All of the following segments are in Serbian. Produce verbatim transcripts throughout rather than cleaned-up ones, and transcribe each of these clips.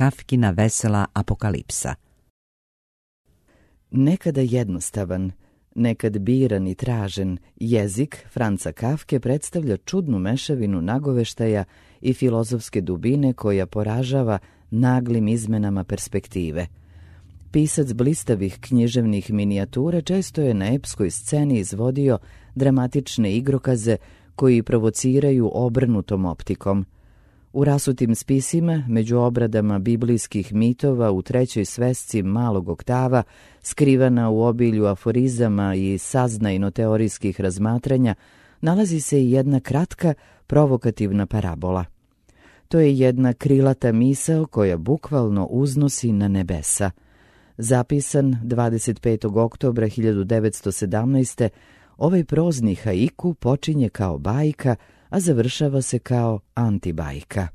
Kafkina vesela apokalipsa. Nekada jednostavan, nekad biran i tražen, jezik Franca Kafke predstavlja čudnu mešavinu nagoveštaja i filozofske dubine koja poražava naglim izmenama perspektive. Pisac blistavih književnih minijatura često je na epskoj sceni izvodio dramatične igrokaze koji provociraju obrnutom optikom. U rasutim spisima, među obradama biblijskih mitova u trećoj svesci malog oktava, skrivana u obilju aforizama i saznajno-teorijskih razmatranja, nalazi se i jedna kratka, provokativna parabola. To je jedna krilata misao koja bukvalno uznosi na nebesa. Zapisan dvadeset petog oktobra hiljadu devetsto sedamnaeste. ovaj prozni haiku počinje kao bajka, a završava se kao antibajka.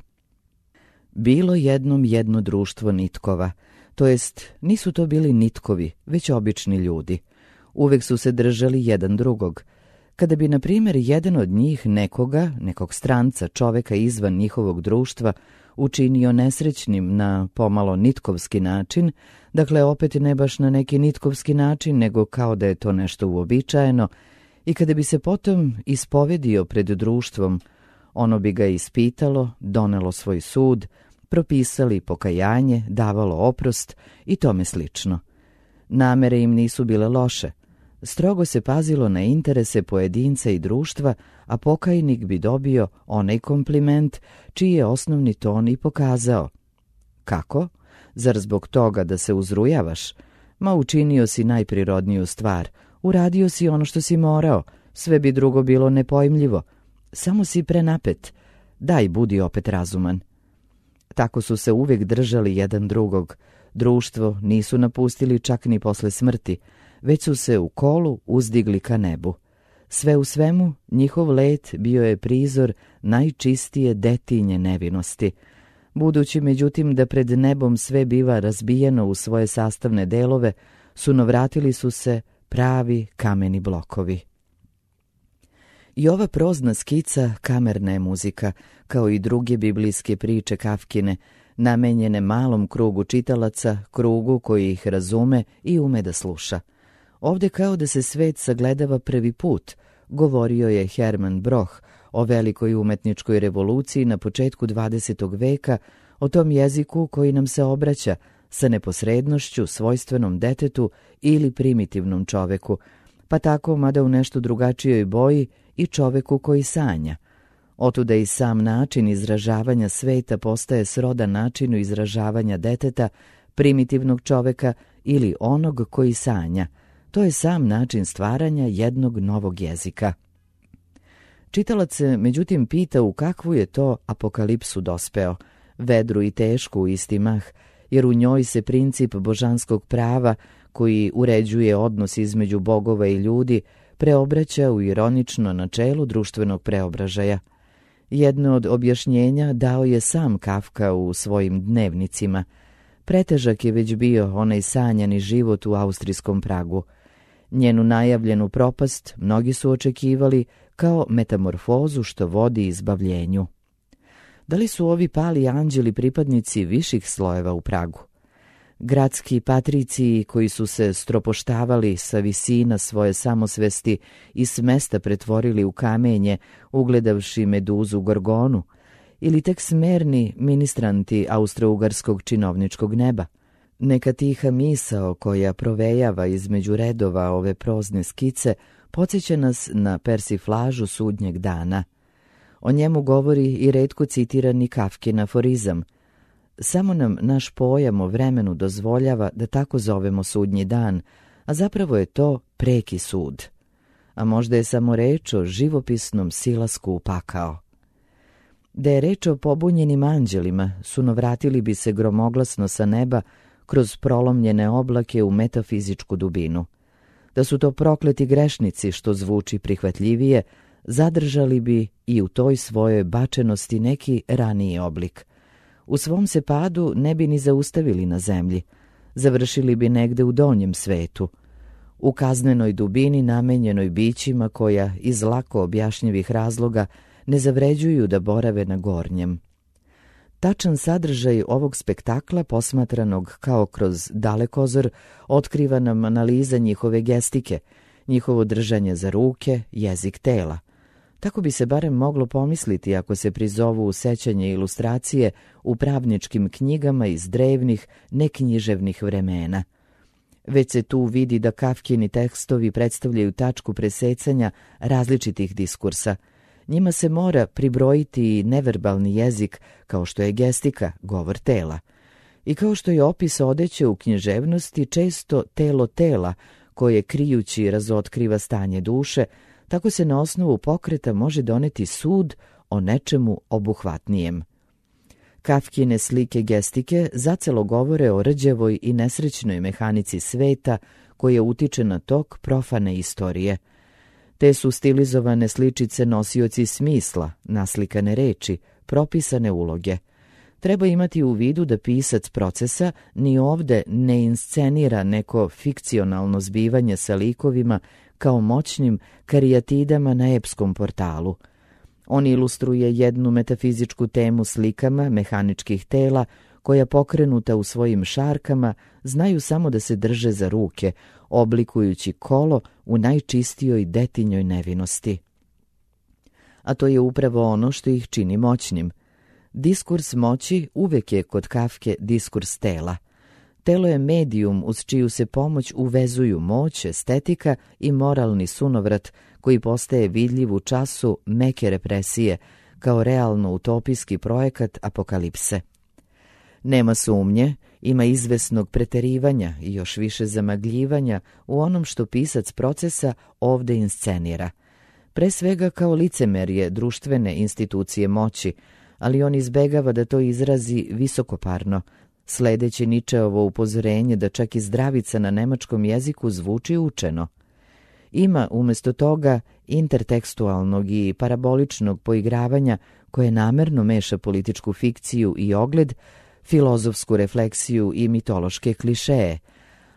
Bilo jednom jedno društvo nitkova, to jest nisu to bili nitkovi, već obični ljudi. Uvek su se držali jedan drugog. Kada bi, na primjer, jedan od njih nekoga, nekog stranca, čoveka izvan njihovog društva, učinio nesrećnim na pomalo nitkovski način, dakle opet ne baš na neki nitkovski način, nego kao da je to nešto uobičajeno, i kada bi se potom ispovedio pred društvom, ono bi ga ispitalo, donelo svoj sud, propisali pokajanje, davalo oprost i tome slično. Namere im nisu bile loše. Strogo se pazilo na interese pojedinca i društva, a pokajnik bi dobio onaj kompliment čiji je osnovni ton i pokazao. Kako? Zar zbog toga da se uzrujavaš? Ma učinio si najprirodniju stvar, uradio si ono što si morao, sve bi drugo bilo nepojmljivo. Samo si prenapet, daj budi opet razuman. Tako su se uvijek držali jedan drugog. Društvo nisu napustili čak ni posle smrti, već su se u kolu uzdigli ka nebu. Sve u svemu, njihov let bio je prizor najčistije detinje nevinosti. Budući, međutim, da pred nebom sve biva razbijeno u svoje sastavne delove, sunovratili su se pravi kameni blokovi. I ova prozna skica kamerna je muzika, kao i druge biblijske priče Kafkine, namenjene malom krugu čitalaca, krugu koji ih razume i ume da sluša. Ovde kao da se svet sagledava prvi put, govorio je Herman Broch o velikoj umetničkoj revoluciji na početku dvadesetog veka, o tom jeziku koji nam se obraća sa neposrednošću svojstvenom detetu ili primitivnom čoveku, pa tako, mada u nešto drugačijoj boji, i čoveku koji sanja. Otuda i sam način izražavanja sveta postaje srodan načinu izražavanja deteta, primitivnog čoveka ili onog koji sanja. To je sam način stvaranja jednog novog jezika. Čitalac se međutim pita u kakvu je to apokalipsu dospeo, vedru i tešku u isti mah, jer u njoj se princip božanskog prava, koji uređuje odnos između bogova i ljudi, preobraća u ironično načelo društvenog preobražaja. Jedno od objašnjenja dao je sam Kafka u svojim dnevnicima. Pretežak je već bio onaj sanjani život u austrijskom Pragu. Njenu najavljenu propast mnogi su očekivali kao metamorfozu što vodi izbavljenju. Da li su ovi pali anđeli pripadnici viših slojeva u Pragu? Gradski patriciji koji su se stropoštavali sa visina svoje samosvesti i s mesta pretvorili u kamenje, ugledavši meduzu Gorgonu, ili tek smerni ministranti austro-ugarskog činovničkog neba? Neka tiha misao koja provejava između redova ove prozne skice podsjeća nas na persiflažu sudnjeg dana. O njemu govori i retko citirani Kafkin aforizam. Samo nam naš pojam o vremenu dozvoljava da tako zovemo sudnji dan, a zapravo je to preki sud. A možda je samo reč o živopisnom silasku u pakao. Da je reč o pobunjenim anđelima, sunovratili bi se gromoglasno sa neba kroz prolomljene oblake u metafizičku dubinu. Da su to prokleti grešnici, što zvuči prihvatljivije, zadržali bi i u toj svojoj bačenosti neki raniji oblik. U svom se padu ne bi ni zaustavili na zemlji, završili bi negde u donjem svetu, u kaznenoj dubini namenjenoj bićima koja iz lako objašnjivih razloga ne zavređuju da borave na gornjem. Tačan sadržaj ovog spektakla, posmatranog kao kroz dalekozor, otkriva nam analiza njihove gestike, njihovo držanje za ruke, jezik tela. Tako bi se barem moglo pomisliti ako se prizovu sećanje ilustracije u pravničkim knjigama iz drevnih, neknjiževnih vremena. Već se tu vidi da Kafkini tekstovi predstavljaju tačku presecanja različitih diskursa. Njima se mora pribrojiti neverbalni jezik, kao što je gestika, govor tela. I kao što je opis odeće u književnosti često telo tela, koje krijući razotkriva stanje duše, tako se na osnovu pokreta može doneti sud o nečemu obuhvatnijem. Kafkine slike gestike zacelo govore o rđevoj i nesrećnoj mehanici sveta koja utiče na tok profane istorije. Te su stilizovane sličice nosioci smisla, naslikane reči, propisane uloge. Treba imati u vidu da pisac procesa ni ovde ne inscenira neko fikcionalno zbivanje sa likovima kao moćnim karijatidama na epskom portalu. On ilustruje jednu metafizičku temu slikama mehaničkih tela koja pokrenuta u svojim šarkama znaju samo da se drže za ruke, oblikujući kolo u najčistijoj detinjoj nevinosti. A to je upravo ono što ih čini moćnim. Diskurs moći uvek je kod Kafke diskurs tela. Telo je medijum uz čiju se pomoć uvezuju moć, estetika i moralni sunovrat koji postaje vidljiv u času meke represije kao realno utopijski projekat apokalipse. Nema sumnje, ima izvesnog preterivanja i još više zamagljivanja u onom što pisac procesa ovde inscenira. Pre svega kao licemerje društvene institucije moći, ali on izbegava da to izrazi visokoparno, sledeći Ničeovo upozorenje da čak i zdravica na nemačkom jeziku zvuči učeno. Ima umjesto toga intertekstualnog i paraboličnog poigravanja koje namerno meša političku fikciju i ogled, filozofsku refleksiju i mitološke klišeje,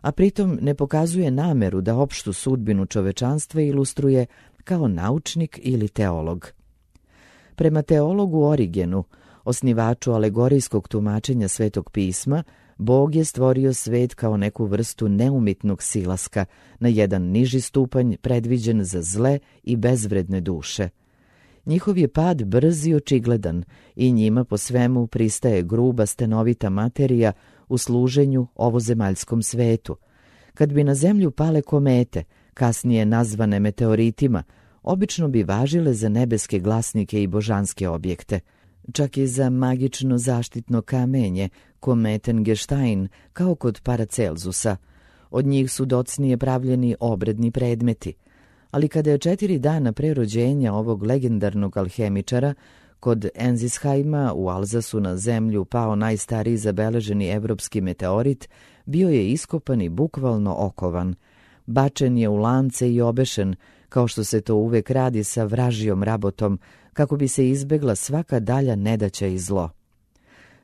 a pritom ne pokazuje nameru da opštu sudbinu čovečanstva ilustruje kao naučnik ili teolog. Prema teologu Origenu, osnivaču alegorijskog tumačenja Svetog pisma, Bog je stvorio svet kao neku vrstu neumitnog silaska, na jedan niži stupanj predviđen za zle i bezvredne duše. Njihov je pad brz i očigledan i njima po svemu pristaje gruba stenovita materija u služenju ovozemaljskom svetu. Kad bi na zemlju pale komete, kasnije nazvane meteoritima, obično bi važile za nebeske glasnike i božanske objekte. Čak i za magično zaštitno kamenje, Kometengestein, kao kod Paracelzusa. Od njih su docnije pravljeni obredni predmeti. Ali kada je četiri dana pre rođenja ovog legendarnog alhemičara, kod Enzisheima u Alzasu na zemlju pao najstariji zabeleženi evropski meteorit, bio je iskopan i bukvalno okovan. Bačen je u lance i obešen, kao što se to uvek radi sa vražijom rabotom, kako bi se izbegla svaka dalja nedaća i zlo.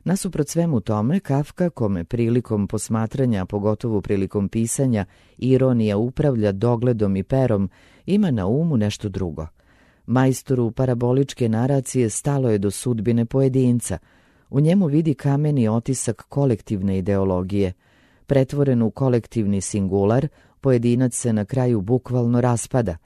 Nasuprot svemu tome, Kafka, kome prilikom posmatranja, pogotovo prilikom pisanja, ironija upravlja dogledom i perom, ima na umu nešto drugo. Majstoru paraboličke naracije stalo je do sudbine pojedinca. U njemu vidi kameni otisak kolektivne ideologije. Pretvoren u kolektivni singular, pojedinac se na kraju bukvalno raspada.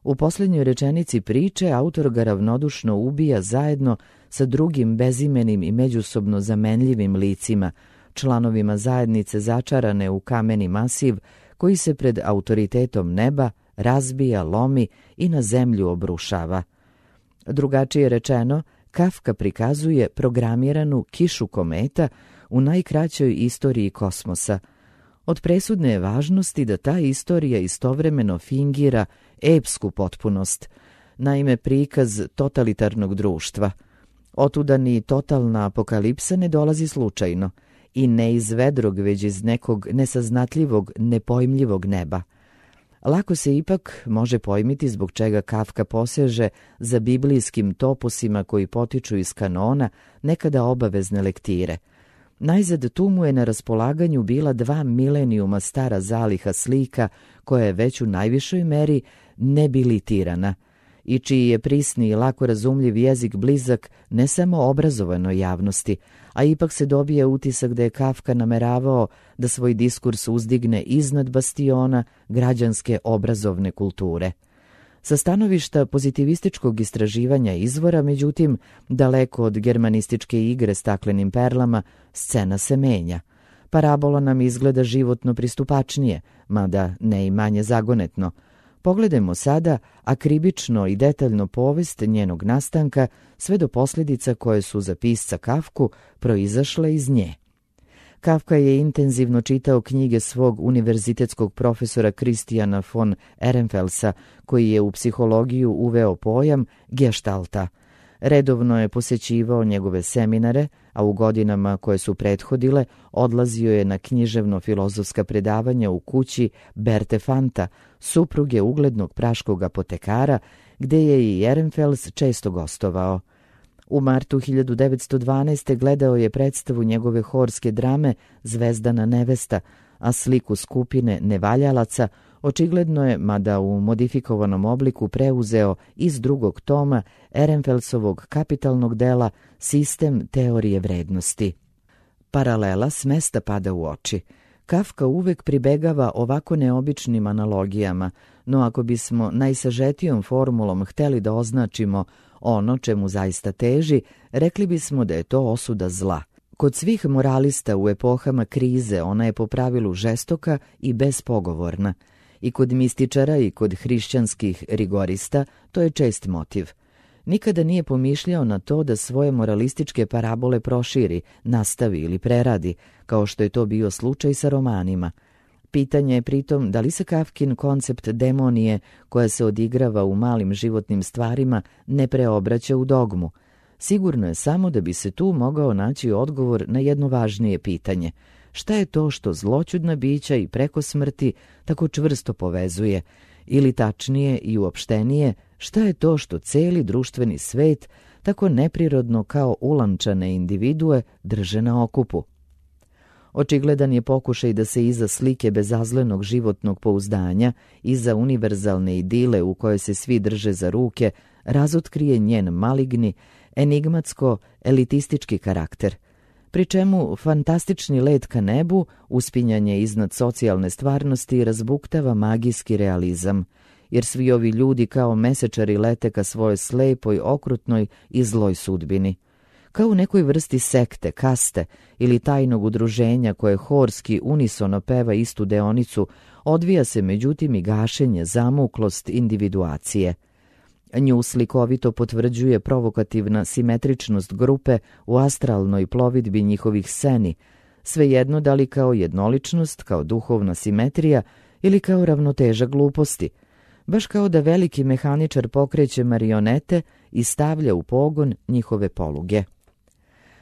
U posljednjoj rečenici priče autor ga ravnodušno ubija zajedno sa drugim bezimenim i međusobno zamenljivim licima, članovima zajednice začarane u kameni masiv koji se pred autoritetom neba razbija, lomi i na zemlju obrušava. Drugačije rečeno, Kafka prikazuje programiranu kišu kometa u najkraćoj istoriji kosmosa. Od presudne je važnosti da ta istorija istovremeno fingira epsku potpunost, naime prikaz totalitarnog društva. Otuda ni totalna apokalipsa ne dolazi slučajno i ne iz vedrog, već iz nekog nesaznatljivog, nepojmljivog neba. Lako se ipak može pojmiti zbog čega Kafka poseže za biblijskim topusima koji potiču iz kanona, nekada obavezne lektire. Najzad tu mu je na raspolaganju bila dva milenijuma stara zaliha slika koja je već u najvišoj meri nebilitirana i čiji je prisni i lako razumljiv jezik blizak ne samo obrazovanoj javnosti, a ipak se dobije utisak da je Kafka nameravao da svoj diskurs uzdigne iznad bastiona građanske obrazovne kulture. Sa stanovišta pozitivističkog istraživanja izvora, međutim, daleko od germanističke igre staklenim perlama, scena se menja. Parabola nam izgleda životno pristupačnije, mada ne i manje zagonetno. Pogledajmo sada akribično i detaljno povest njenog nastanka, sve do posljedica koje su za pisca Kafku proizašle iz nje. Kafka je intenzivno čitao knjige svog univerzitetskog profesora Christiana von Ehrenfelsa, koji je u psihologiju uveo pojam geštalta. Redovno je posjećivao njegove seminare, a u godinama koje su prethodile odlazio je na književno-filozofska predavanja u kući Berte Fanta, supruge uglednog praškog apotekara, gde je i Ehrenfels često gostovao. U martu hiljadu devetsto dvanaeste. gledao je predstavu njegove horske drame Zvezdana nevesta, a sliku skupine nevaljalaca očigledno je, mada u modifikovanom obliku, preuzeo iz drugog toma Ehrenfelsovog kapitalnog dela Sistem teorije vrednosti. Paralela s mesta pada u oči. Kafka uvek pribegava ovako neobičnim analogijama, no ako bismo najsažetijom formulom hteli da označimo ono čemu zaista teži, rekli bismo da je to osuda zla. Kod svih moralista u epohama krize ona je po pravilu žestoka i bespogovorna. I kod mističara i kod hrišćanskih rigorista to je čest motiv. Nikada nije pomišljao na to da svoje moralističke parabole proširi, nastavi ili preradi, kao što je to bio slučaj sa romanima. Pitanje je pritom da li se Kafkin koncept demonije, koja se odigrava u malim životnim stvarima, ne preobraća u dogmu. Sigurno je samo da bi se tu mogao naći odgovor na jedno važnije pitanje. Šta je to što zloćudna bića i preko smrti tako čvrsto povezuje? Ili tačnije i uopštenije, šta je to što celi društveni svet tako neprirodno kao ulančane individue drže na okupu? Očigledan je pokušaj da se iza slike bezazlenog životnog pouzdanja, iza univerzalne idile u kojoj se svi drže za ruke, razotkrije njen maligni, enigmatsko-elitistički karakter, pri čemu fantastični let ka nebu, uspinjanje iznad socijalne stvarnosti, razbuktava magijski realizam, jer svi ovi ljudi kao mesečari lete ka svojoj slepoj, okrutnoj i zloj sudbini. Kao u nekoj vrsti sekte, kaste ili tajnog udruženja koje horski unisono peva istu deonicu, odvija se međutim i gašenje, zamuklost individuacije. Nju slikovito potvrđuje provokativna simetričnost grupe u astralnoj plovidbi njihovih sceni, svejedno da li kao jednoličnost, kao duhovna simetrija ili kao ravnoteža gluposti, baš kao da veliki mehaničar pokreće marionete i stavlja u pogon njihove poluge.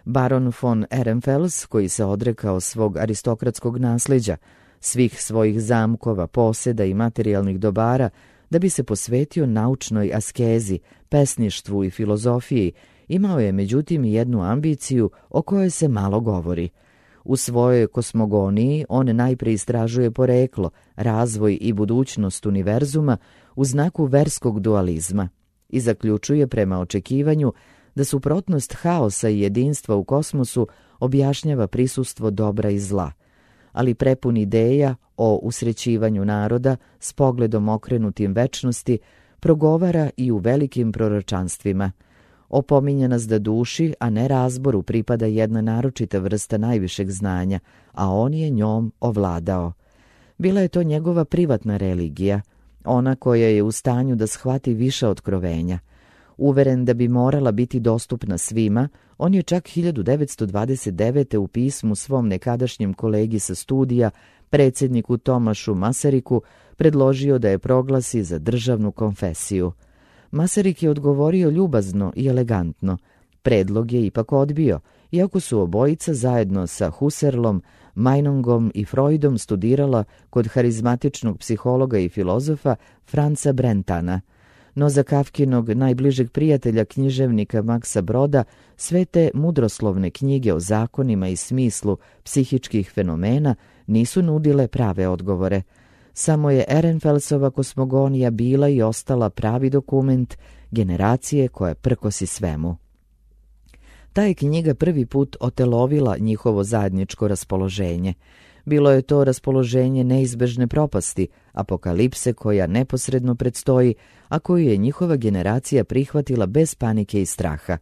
Baron von Ehrenfels, koji se odrekao svog aristokratskog nasljeđa, svih svojih zamkova, poseda i materijalnih dobara, da bi se posvetio naučnoj askezi, pesništvu i filozofiji, imao je međutim jednu ambiciju o kojoj se malo govori. U svojoj kosmogoniji on najpre istražuje poreklo, razvoj i budućnost univerzuma u znaku verskog dualizma i zaključuje prema očekivanju da suprotnost haosa i jedinstva u kosmosu objašnjava prisustvo dobra i zla, ali prepun ideja o usrećivanju naroda s pogledom okrenutim večnosti progovara i u velikim proročanstvima. Opominje nas da duši, a ne razboru, pripada jedna naročita vrsta najvišeg znanja, a on je njom ovladao. Bila je to njegova privatna religija, ona koja je u stanju da shvati više otkrovenja. Uveren da bi morala biti dostupna svima, on je čak hiljadu devetsto dvadeset devete. u pismu svom nekadašnjem kolegi sa studija, predsjedniku Tomašu Masariku, predložio da je proglasi za državnu konfesiju. Masarik je odgovorio ljubazno i elegantno. Predlog je ipak odbio, iako su obojica zajedno sa Husserlom, Meinongom i Freudom studirala kod harizmatičnog psihologa i filozofa Franca Brentana. No za Kafkinog najbližeg prijatelja, književnika Maksa Broda, sve te mudroslovne knjige o zakonima i smislu psihičkih fenomena nisu nudile prave odgovore. Samo je Ehrenfelsova kosmogonija bila i ostala pravi dokument generacije koja prkosi svemu. Ta je knjiga prvi put otelovila njihovo zajedničko raspoloženje. Bilo je to raspoloženje neizbežne propasti, apokalipse koja neposredno predstoji, a koju je njihova generacija prihvatila bez panike i straha.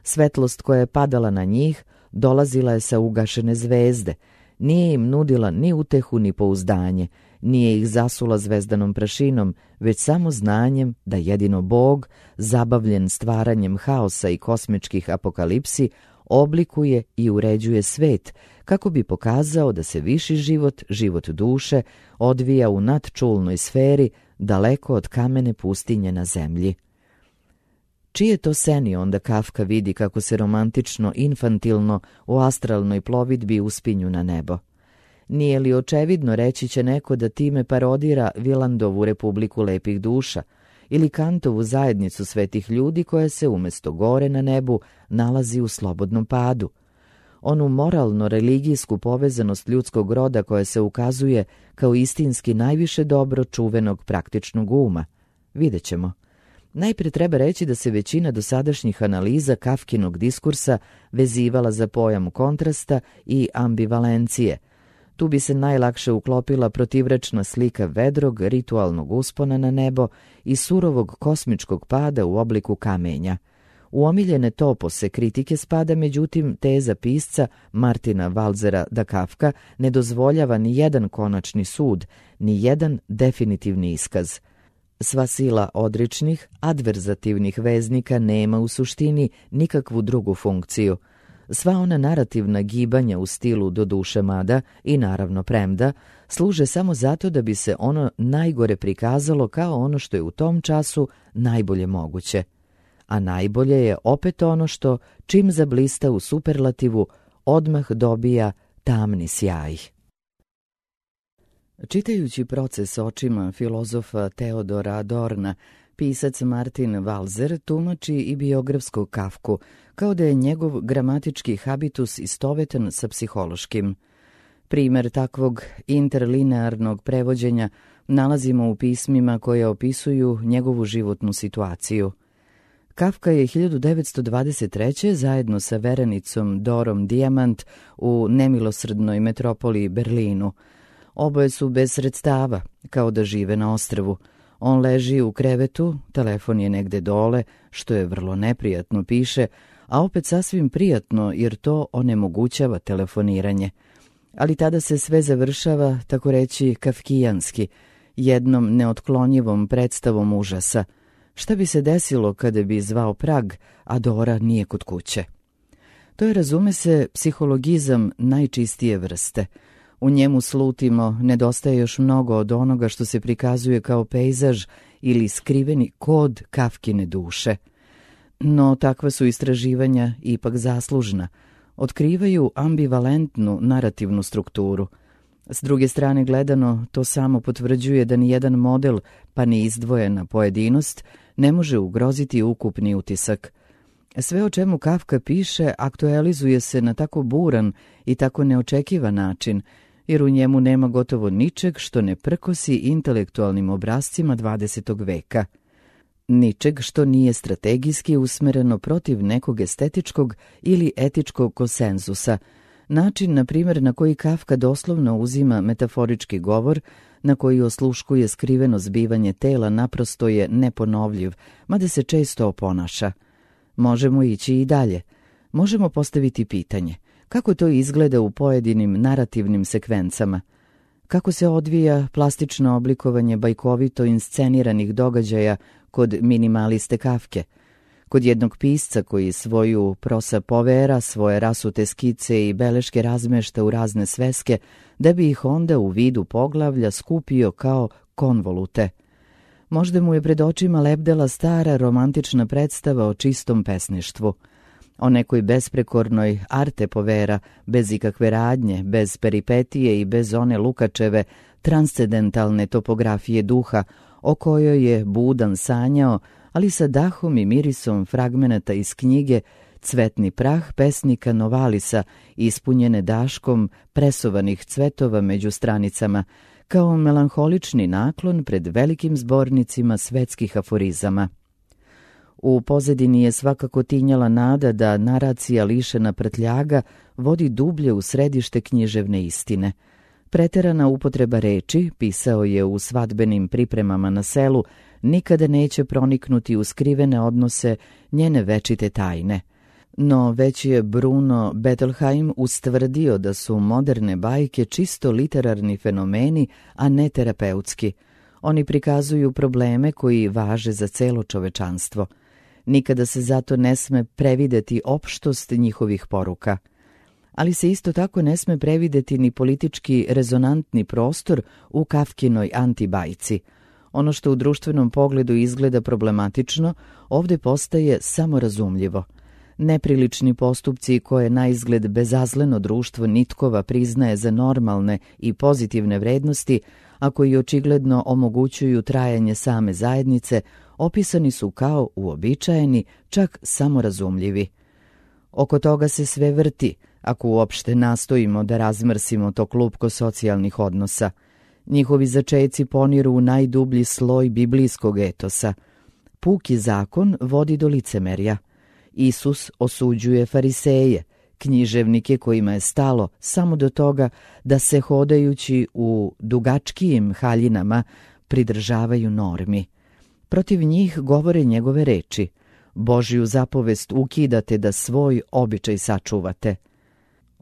Svetlost koja je padala na njih dolazila je sa ugašene zvezde, nije im nudila ni utehu ni pouzdanje, nije ih zasula zvezdanom prašinom, već samo znanjem da jedino Bog, zabavljen stvaranjem haosa i kosmičkih apokalipsi, oblikuje i uređuje svet, kako bi pokazao da se viši život, život duše, odvija u nadčulnoj sferi, daleko od kamene pustinje na zemlji. Čije to seni onda Kafka vidi kako se romantično, infantilno u astralnoj plovidbi uspinju na nebo? Nije li očevidno, reći će neko, da time parodira Vilandovu Republiku lepih duša ili Kantovu zajednicu svetih ljudi koja se umjesto gore na nebu nalazi u slobodnom padu? Onu moralno-religijsku povezanost ljudskog roda koja se ukazuje kao istinski najviše dobro čuvenog praktičnog uma? Vidjet ćemo. Najprije treba reći da se većina dosadašnjih analiza Kafkinog diskursa vezivala za pojam kontrasta i ambivalencije. Tu bi se najlakše uklopila protivrečna slika vedrog ritualnog uspona na nebo i surovog kosmičkog pada u obliku kamenja. U omiljene topose kritike spada međutim teza pisca Martina Walsera da Kafka ne dozvoljava ni jedan konačni sud, ni jedan definitivni iskaz. Sva sila odričnih, adverzativnih veznika nema u suštini nikakvu drugu funkciju. Sva ona narativna gibanja u stilu do duše mada i naravno premda služe samo zato da bi se ono najgore prikazalo kao ono što je u tom času najbolje moguće. A najbolje je opet ono što, čim zablista u superlativu, odmah dobija tamni sjaj. Čitajući Proces očima filozofa Teodora Adorna, pisac Martin Walser tumači i biografsku Kafku, kao da je njegov gramatički habitus istovetan sa psihološkim. Primer takvog interlinearnog prevođenja nalazimo u pismima koje opisuju njegovu životnu situaciju. Kafka je hiljadu devetsto dvadeset treće zajedno sa verenicom Dorom Dijamant u nemilosrdnoj metropoli Berlinu. Oboje su bez sredstava, kao da žive na ostrvu. On leži u krevetu, telefon je negde dole, što je vrlo neprijatno, piše, a opet sasvim prijatno jer to onemogućava telefoniranje. Ali tada se sve završava, tako reći, kafkijanski, jednom neotklonjivom predstavom užasa. Šta bi se desilo kada bi zvao Prag, a Dora nije kod kuće? To je, razume se, psihologizam najčistije vrste. U njemu slutimo, nedostaje još mnogo od onoga što se prikazuje kao pejzaž ili skriveni kod Kafkine duše. No takva su istraživanja ipak zaslužna. Otkrivaju ambivalentnu narativnu strukturu. S druge strane gledano, to samo potvrđuje da ni jedan model, pa ni izdvojena pojedinost, ne može ugroziti ukupni utisak. Sve o čemu Kafka piše aktualizuje se na tako buran i tako neočekivan način, jer u njemu nema gotovo ničeg što ne prkosi intelektualnim obrascima dvadesetog veka. Ničeg što nije strategijski usmereno protiv nekog estetičkog ili etičkog konsenzusa. Način, na primjer, na koji Kafka doslovno uzima metaforički govor, na koji osluškuje skriveno zbivanje tela, naprosto je neponovljiv, mada se često oponaša. Možemo ići i dalje. Možemo postaviti pitanje. Kako to izgleda u pojedinim narativnim sekvencama? Kako se odvija plastično oblikovanje bajkovito insceniranih događaja kod minimaliste Kafke? Kod jednog pisca koji svoju prosa povera, svoje rasute skice i beleške razmešta u razne sveske, da bi ih onda u vidu poglavlja skupio kao konvolute. Možda mu je pred očima lebdela stara romantična predstava o čistom pesništvu. O nekoj besprekornoj arte povera, bez ikakve radnje, bez peripetije i bez one Lukačeve transcendentalne topografije duha, o kojoj je budan sanjao, ali sa dahom i mirisom fragmenata iz knjige Cvetni prah pesnika Novalisa, ispunjene daškom presovanih cvetova među stranicama, kao melanholični naklon pred velikim zbornicima svetskih aforizama. U pozadini je svakako tinjala nada da naracija lišena prtljaga vodi dublje u središte književne istine. Preterana upotreba reči, pisao je u svadbenim pripremama na selu, nikada neće proniknuti u skrivene odnose njene večite tajne. No već je Bruno Bettelheim ustvrdio da su moderne bajke čisto literarni fenomeni, a ne terapeutski. Oni prikazuju probleme koji važe za celo čovečanstvo. Nikada se zato ne sme prevideti opštost njihovih poruka. Ali se isto tako ne sme prevideti ni politički rezonantni prostor u Kafkinoj antibajci. Ono što u društvenom pogledu izgleda problematično, ovdje postaje samorazumljivo. Neprilični postupci koje na izgled bezazleno društvo nitkova priznaje za normalne i pozitivne vrednosti, a koji očigledno omogućuju trajanje same zajednice, opisani su kao uobičajeni, čak samorazumljivi. Oko toga se sve vrti, ako uopšte nastojimo da razmrsimo to klupko socijalnih odnosa. Njihovi začeci poniru u najdublji sloj biblijskog etosa. Puki zakon vodi do licemerja. Isus osuđuje fariseje, književnike kojima je stalo samo do toga da se hodajući u dugačkijim haljinama pridržavaju normi. Protiv njih govore njegove reči: Božju zapovest ukidate da svoj običaj sačuvate.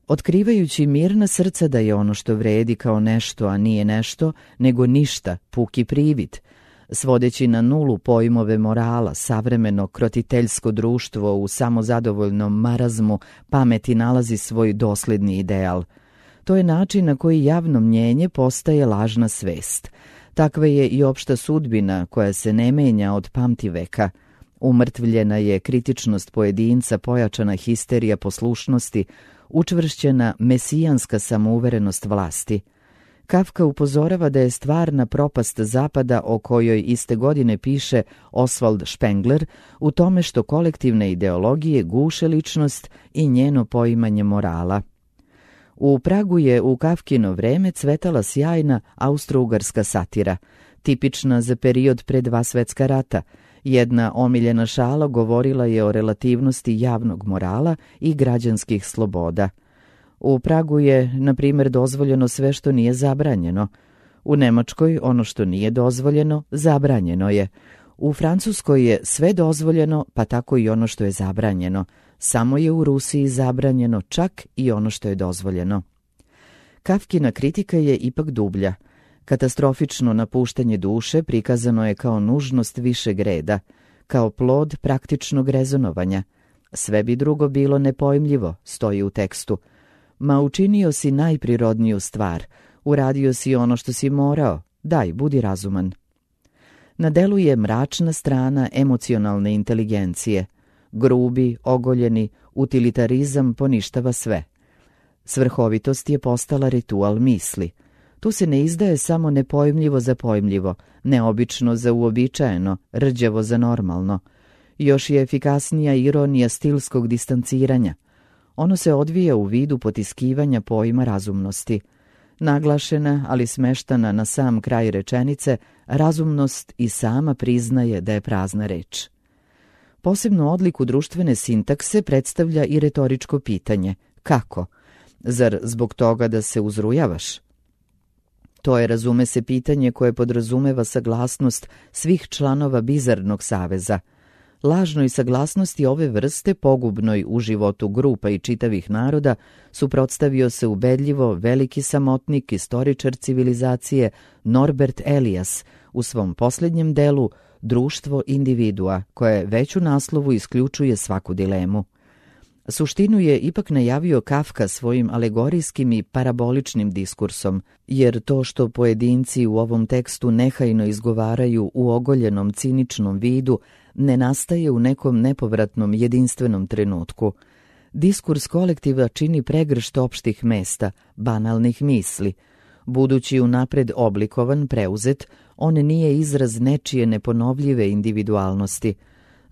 Otkrivajući mirna srca da je ono što vredi kao nešto, a nije nešto, nego ništa, puki privid, svodeći na nulu pojmove morala, savremeno krotiteljsko društvo u samozadovoljnom marazmu pameti nalazi svoj dosledni ideal. To je način na koji javno mnjenje postaje lažna svest. Takva je i opšta sudbina koja se ne menja od pamtiveka. Umrtvljena je kritičnost pojedinca, pojačana histerija poslušnosti, učvršćena mesijanska samouverenost vlasti. Kafka upozorava da je stvarna propast Zapada, o kojoj iste godine piše Oswald Spengler, u tome što kolektivne ideologije guše ličnost i njeno poimanje morala. U Pragu je u Kafkino vreme cvetala sjajna austro-ugarska satira, tipična za period pre dva svetska rata. Jedna omiljena šala govorila je o relativnosti javnog morala i građanskih sloboda. U Pragu je, na primjer, dozvoljeno sve što nije zabranjeno. U Nemačkoj ono što nije dozvoljeno, zabranjeno je. U Francuskoj je sve dozvoljeno, pa tako i ono što je zabranjeno. Samo je u Rusiji zabranjeno čak i ono što je dozvoljeno. Kafkina kritika je ipak dublja. Katastrofično napuštanje duše prikazano je kao nužnost višeg reda, kao plod praktičnog rezonovanja. Sve bi drugo bilo nepojmljivo, stoji u tekstu. Ma učinio si najprirodniju stvar, uradio si ono što si morao, daj, budi razuman. Na delu je mračna strana emocionalne inteligencije. Grubi, ogoljeni, utilitarizam poništava sve. Svrhovitost je postala ritual misli. Tu se ne izdaje samo nepojmljivo za pojmljivo, neobično za uobičajeno, rđevo za normalno. Još je efikasnija ironija stilskog distanciranja. Ono se odvija u vidu potiskivanja pojma razumnosti. Naglašena, ali smeštana na sam kraj rečenice, razumnost i sama priznaje da je prazna reč. Posebnu odliku društvene sintakse predstavlja i retoričko pitanje: kako? Zar zbog toga da se uzrujavaš? To je, razume se, pitanje koje podrazumeva saglasnost svih članova bizarnog saveza. Lažnoj saglasnosti ove vrste, pogubnoj u životu grupa i čitavih naroda, suprotstavio se ubedljivo veliki samotnik, istoričar civilizacije Norbert Elias u svom posljednjem delu Društvo individua, koje već u naslovu isključuje svaku dilemu. Suštinu je ipak najavio Kafka svojim alegorijskim i paraboličnim diskursom, jer to što pojedinci u ovom tekstu nehajno izgovaraju u ogoljenom ciničnom vidu ne nastaje u nekom nepovratnom jedinstvenom trenutku. Diskurs kolektiva čini pregršt opštih mesta, banalnih misli. Budući unapred oblikovan, preuzet, on nije izraz nečije neponovljive individualnosti.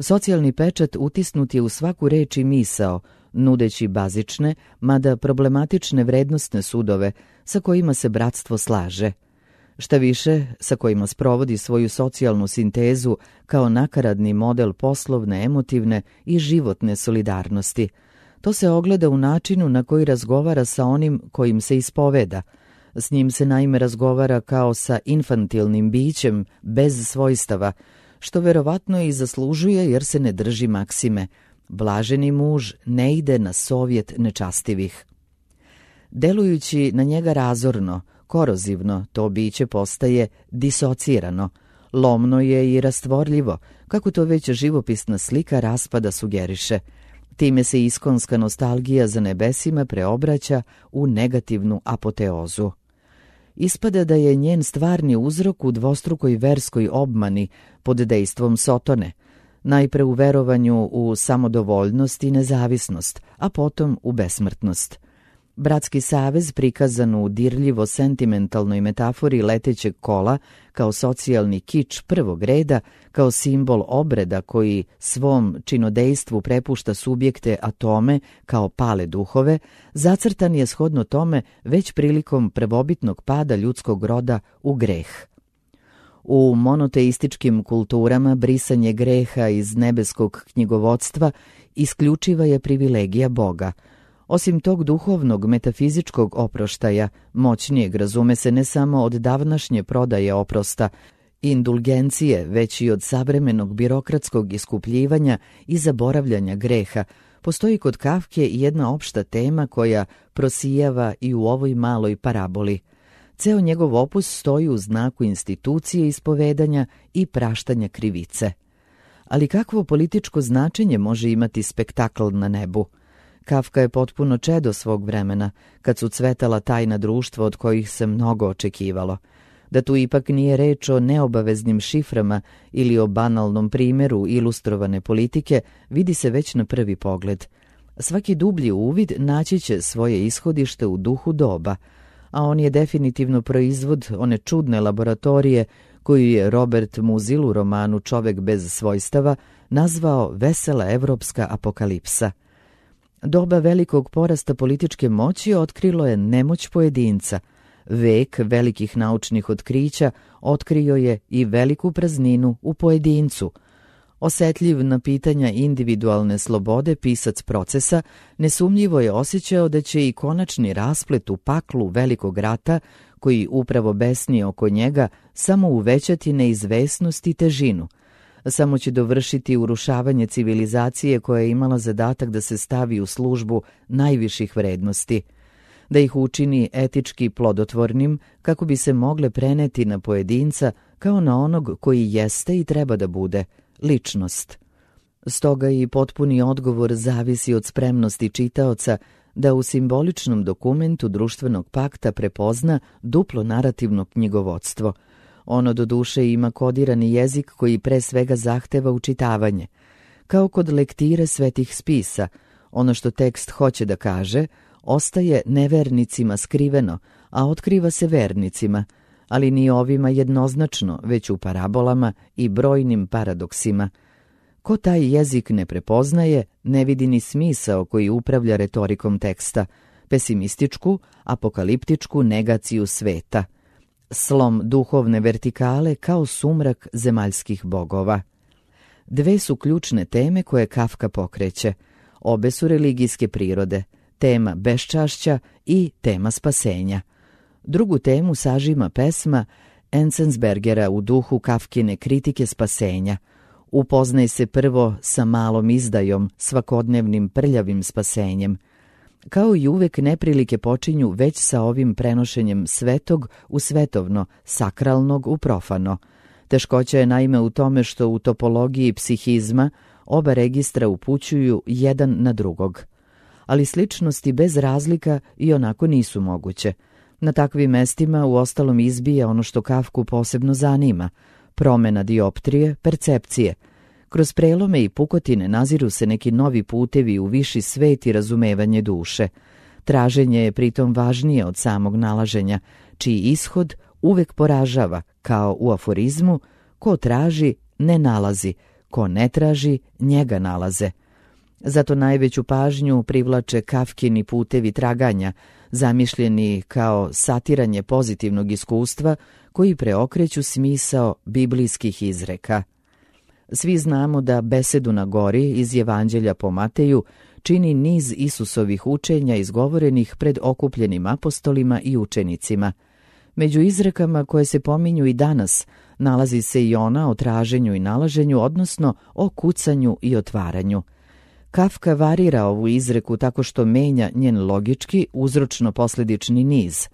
Socijalni pečat utisnut je u svaku reč i misao, nudeći bazične, mada problematične vrednostne sudove sa kojima se bratstvo slaže. šta više, sa kojima sprovodi svoju socijalnu sintezu kao nakaradni model poslovne, emotivne i životne solidarnosti. To se ogleda u načinu na koji razgovara sa onim kojim se ispoveda. S njim se naime razgovara kao sa infantilnim bićem, bez svojstava, što verovatno i zaslužuje jer se ne drži maksime. Blaženi muž ne ide na sovjet nečastivih. Delujući na njega razorno, korozivno, to biće postaje disocirano. Lomno je i rastvorljivo, kako to već živopisna slika raspada sugeriše. Time se iskonska nostalgija za nebesima preobraća u negativnu apoteozu. Ispada da je njen stvarni uzrok u dvostrukoj verskoj obmani pod dejstvom Sotone, najpre u verovanju u samodovoljnost i nezavisnost, a potom u besmrtnost. Bratski savez prikazan u dirljivo sentimentalnoj metafori letećeg kola kao socijalni kič prvog reda, kao simbol obreda koji svom činodejstvu prepušta subjekte atome kao pale duhove, zacrtan je shodno tome već prilikom prvobitnog pada ljudskog roda u greh. U monoteističkim kulturama brisanje greha iz nebeskog knjigovodstva isključiva je privilegija Boga. Osim tog duhovnog metafizičkog oproštaja, moćnijeg razume se ne samo od davnašnje prodaje oprosta, indulgencije, već i od savremenog birokratskog iskupljivanja i zaboravljanja greha, postoji kod Kafke jedna opšta tema koja prosijava i u ovoj maloj paraboli. Ceo njegov opus stoji u znaku institucije ispovedanja i praštanja krivice. Ali kakvo političko značenje može imati spektakl na nebu? Kafka je potpuno čedo svog vremena, kad su cvetala tajna društva od kojih se mnogo očekivalo. Da tu ipak nije reč o neobaveznim šiframa ili o banalnom primjeru ilustrovane politike, vidi se već na prvi pogled. Svaki dublji uvid naći će svoje ishodište u duhu doba, a on je definitivno proizvod one čudne laboratorije koju je Robert Musil u romanu Čovek bez svojstava nazvao vesela evropska apokalipsa. Doba velikog porasta političke moći otkrilo je nemoć pojedinca. Vek velikih naučnih otkrića otkrio je i veliku prazninu u pojedincu. Osetljiv na pitanja individualne slobode pisac Procesa nesumnjivo je osjećao da će i konačni rasplet u paklu velikog rata, koji upravo besni oko njega, samo uvećati neizvesnost i težinu. Samo će dovršiti urušavanje civilizacije koja je imala zadatak da se stavi u službu najviših vrednosti, da ih učini etički plodotvornim kako bi se mogle preneti na pojedinca kao na onog koji jeste i treba da bude, ličnost. Stoga i potpuni odgovor zavisi od spremnosti čitaoca da u simboličnom dokumentu društvenog pakta prepozna duplo narativno knjigovodstvo. Ono do duše ima kodirani jezik koji pre svega zahteva učitavanje. Kao kod lektire svetih spisa, ono što tekst hoće da kaže ostaje nevernicima skriveno, a otkriva se vernicima, ali ni ovima jednoznačno, već u parabolama i brojnim paradoksima. Ko taj jezik ne prepoznaje, ne vidi ni smisao koji upravlja retorikom teksta, pesimističku, apokaliptičku negaciju sveta. Slom duhovne vertikale kao sumrak zemaljskih bogova. Dve su ključne teme koje Kafka pokreće. Obe su religijske prirode, tema beščašća i tema spasenja. Drugu temu sažima pesma Enzensbergera u duhu Kafkine kritike spasenja. Upoznaj se prvo sa malom izdajom, svakodnevnim prljavim spasenjem. Kao i uvek, neprilike počinju već sa ovim prenošenjem svetog u svetovno, sakralnog u profano. Teškoća je naime u tome što u topologiji psihizma oba registra upućuju jedan na drugog. Ali sličnosti bez razlika i onako nisu moguće. Na takvim mestima uostalom izbija ono što Kafku posebno zanima, promena dioptrije, percepcije. Kroz prelome i pukotine naziru se neki novi putevi u viši svet i razumevanje duše. Traženje je pritom važnije od samog nalaženja, čiji ishod uvek poražava, kao u aforizmu: ko traži, ne nalazi, ko ne traži, njega nalaze. Zato najveću pažnju privlače Kafkini putevi traganja, zamišljeni kao satiranje pozitivnog iskustva koji preokreću smisao biblijskih izreka. Svi znamo da Besedu na gori iz Evanđelja po Mateju čini niz Isusovih učenja izgovorenih pred okupljenim apostolima i učenicima. Među izrekama koje se pominju i danas nalazi se i ona o traženju i nalaženju, odnosno o kucanju i otvaranju. Kafka varira ovu izreku tako što menja njen logički, uzročno-posledični niz.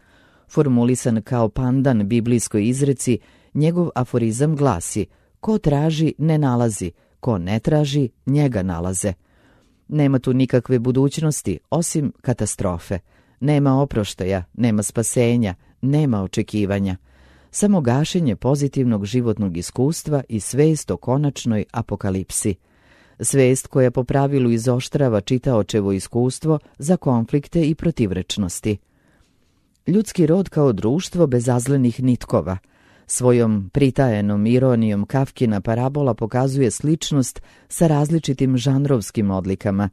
Formulisan kao pandan biblijskoj izreci, njegov aforizam glasi: ko traži, ne nalazi, ko ne traži, njega nalaze. Nema tu nikakve budućnosti, osim katastrofe. Nema oproštaja, nema spasenja, nema očekivanja. Samo gašenje pozitivnog životnog iskustva i svest o konačnoj apokalipsi. Svest koja po pravilu izoštrava čitaočevo iskustvo za konflikte i protivrečnosti. Ljudski rod kao društvo bezazlenih nitkova. Svojom pritajenom ironijom Kafkina parabola pokazuje sličnost sa različitim žanrovskim odlikama.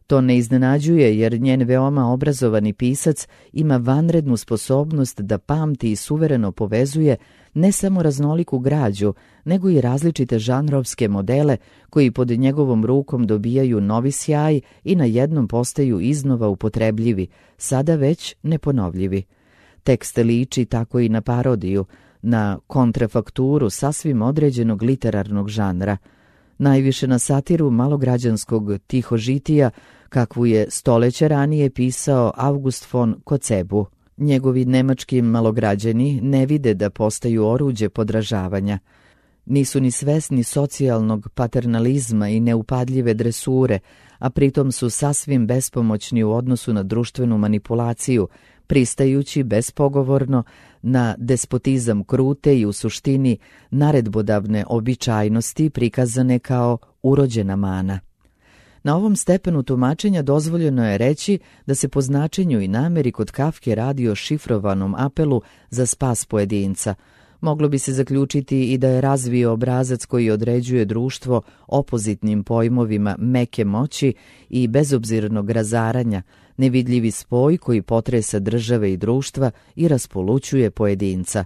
To ne iznenađuje jer njen veoma obrazovani pisac ima vanrednu sposobnost da pamti i suvereno povezuje ne samo raznoliku građu, nego i različite žanrovske modele koji pod njegovom rukom dobijaju novi sjaj i na jednom postaju iznova upotrebljivi, sada već neponovljivi. Tekst liči tako i na parodiju, na kontrafakturu sasvim određenog literarnog žanra, najviše na satiru malograđanskog tihožitija kakvu je stoleće ranije pisao August von Kocebu. Njegovi nemački malograđani ne vide da postaju oruđe podražavanja. Nisu ni svesni socijalnog paternalizma i neupadljive dresure, a pritom su sasvim bespomoćni u odnosu na društvenu manipulaciju, pristajući bespogovorno na despotizam krute i u suštini naredbodavne običajnosti prikazane kao urođena mana. Na ovom stepenu tumačenja dozvoljeno je reći da se po značenju i nameri kod Kafke radi o šifrovanom apelu za spas pojedinca. Moglo bi se zaključiti i da je razvio obrazac koji određuje društvo opozitnim pojmovima meke moći i bezobzirnog razaranja, nevidljivi spoj koji potresa države i društva i raspolućuje pojedinca.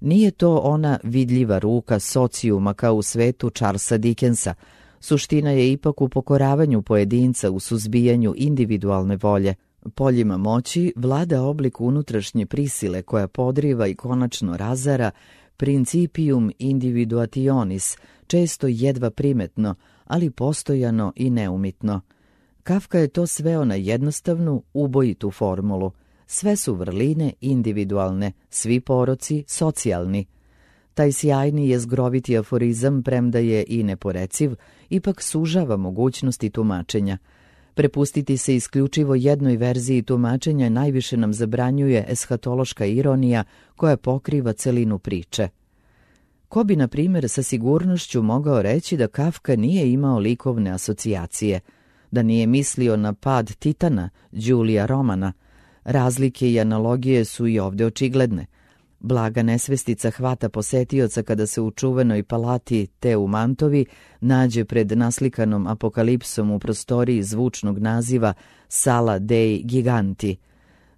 Nije to ona vidljiva ruka socijuma kao u svetu Charlesa Dickensa. Suština je ipak u pokoravanju pojedinca, u suzbijanju individualne volje. Poljima moći vlada oblik unutrašnje prisile koja podriva i konačno razara principium individuationis, često jedva primetno, ali postojano i neumitno. Kafka je to sveo na jednostavnu, ubojitu formulu. Sve su vrline individualne, svi poroci socijalni. Taj sjajni jezgroviti aforizam, premda je i neporeciv, ipak sužava mogućnosti tumačenja. Prepustiti se isključivo jednoj verziji tumačenja najviše nam zabranjuje eshatološka ironija koja pokriva celinu priče. Ko bi, na primjer, sa sigurnošću mogao reći da Kafka nije imao likovne asocijacije, da nije mislio na pad Titana, Đulija Romana. Razlike i analogije su i ovdje očigledne. Blaga nesvestica hvata posetioca kada se u čuvenoj palati te u Mantovi nađe pred naslikanom apokalipsom u prostoriji zvučnog naziva Sala dei Giganti.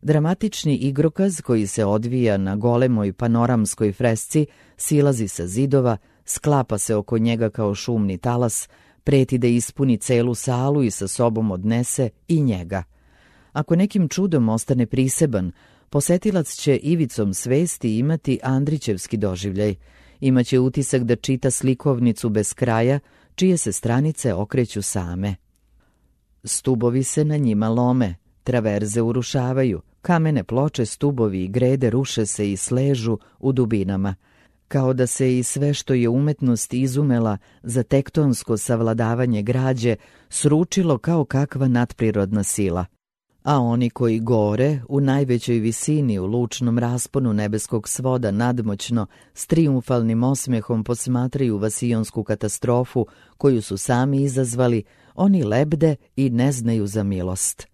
Dramatični igrokaz koji se odvija na golemoj panoramskoj fresci silazi sa zidova, sklapa se oko njega kao šumni talas, preti da ispuni celu salu i sa sobom odnese i njega. Ako nekim čudom ostane priseban, posetilac će ivicom svesti imati Andrićevski doživljaj. Imaće utisak da čita slikovnicu bez kraja, čije se stranice okreću same. Stubovi se na njima lome, traverze urušavaju, kamene ploče, stubovi i grede ruše se i sležu u dubinama, kao da se i sve što je umetnost izumela za tektonsko savladavanje građe sručilo kao kakva nadprirodna sila. A oni koji gore, u najvećoj visini, u lučnom rasponu nebeskog svoda nadmoćno, s trijumfalnim osmehom posmatraju vasijonsku katastrofu koju su sami izazvali, oni lebde i ne znaju za milost.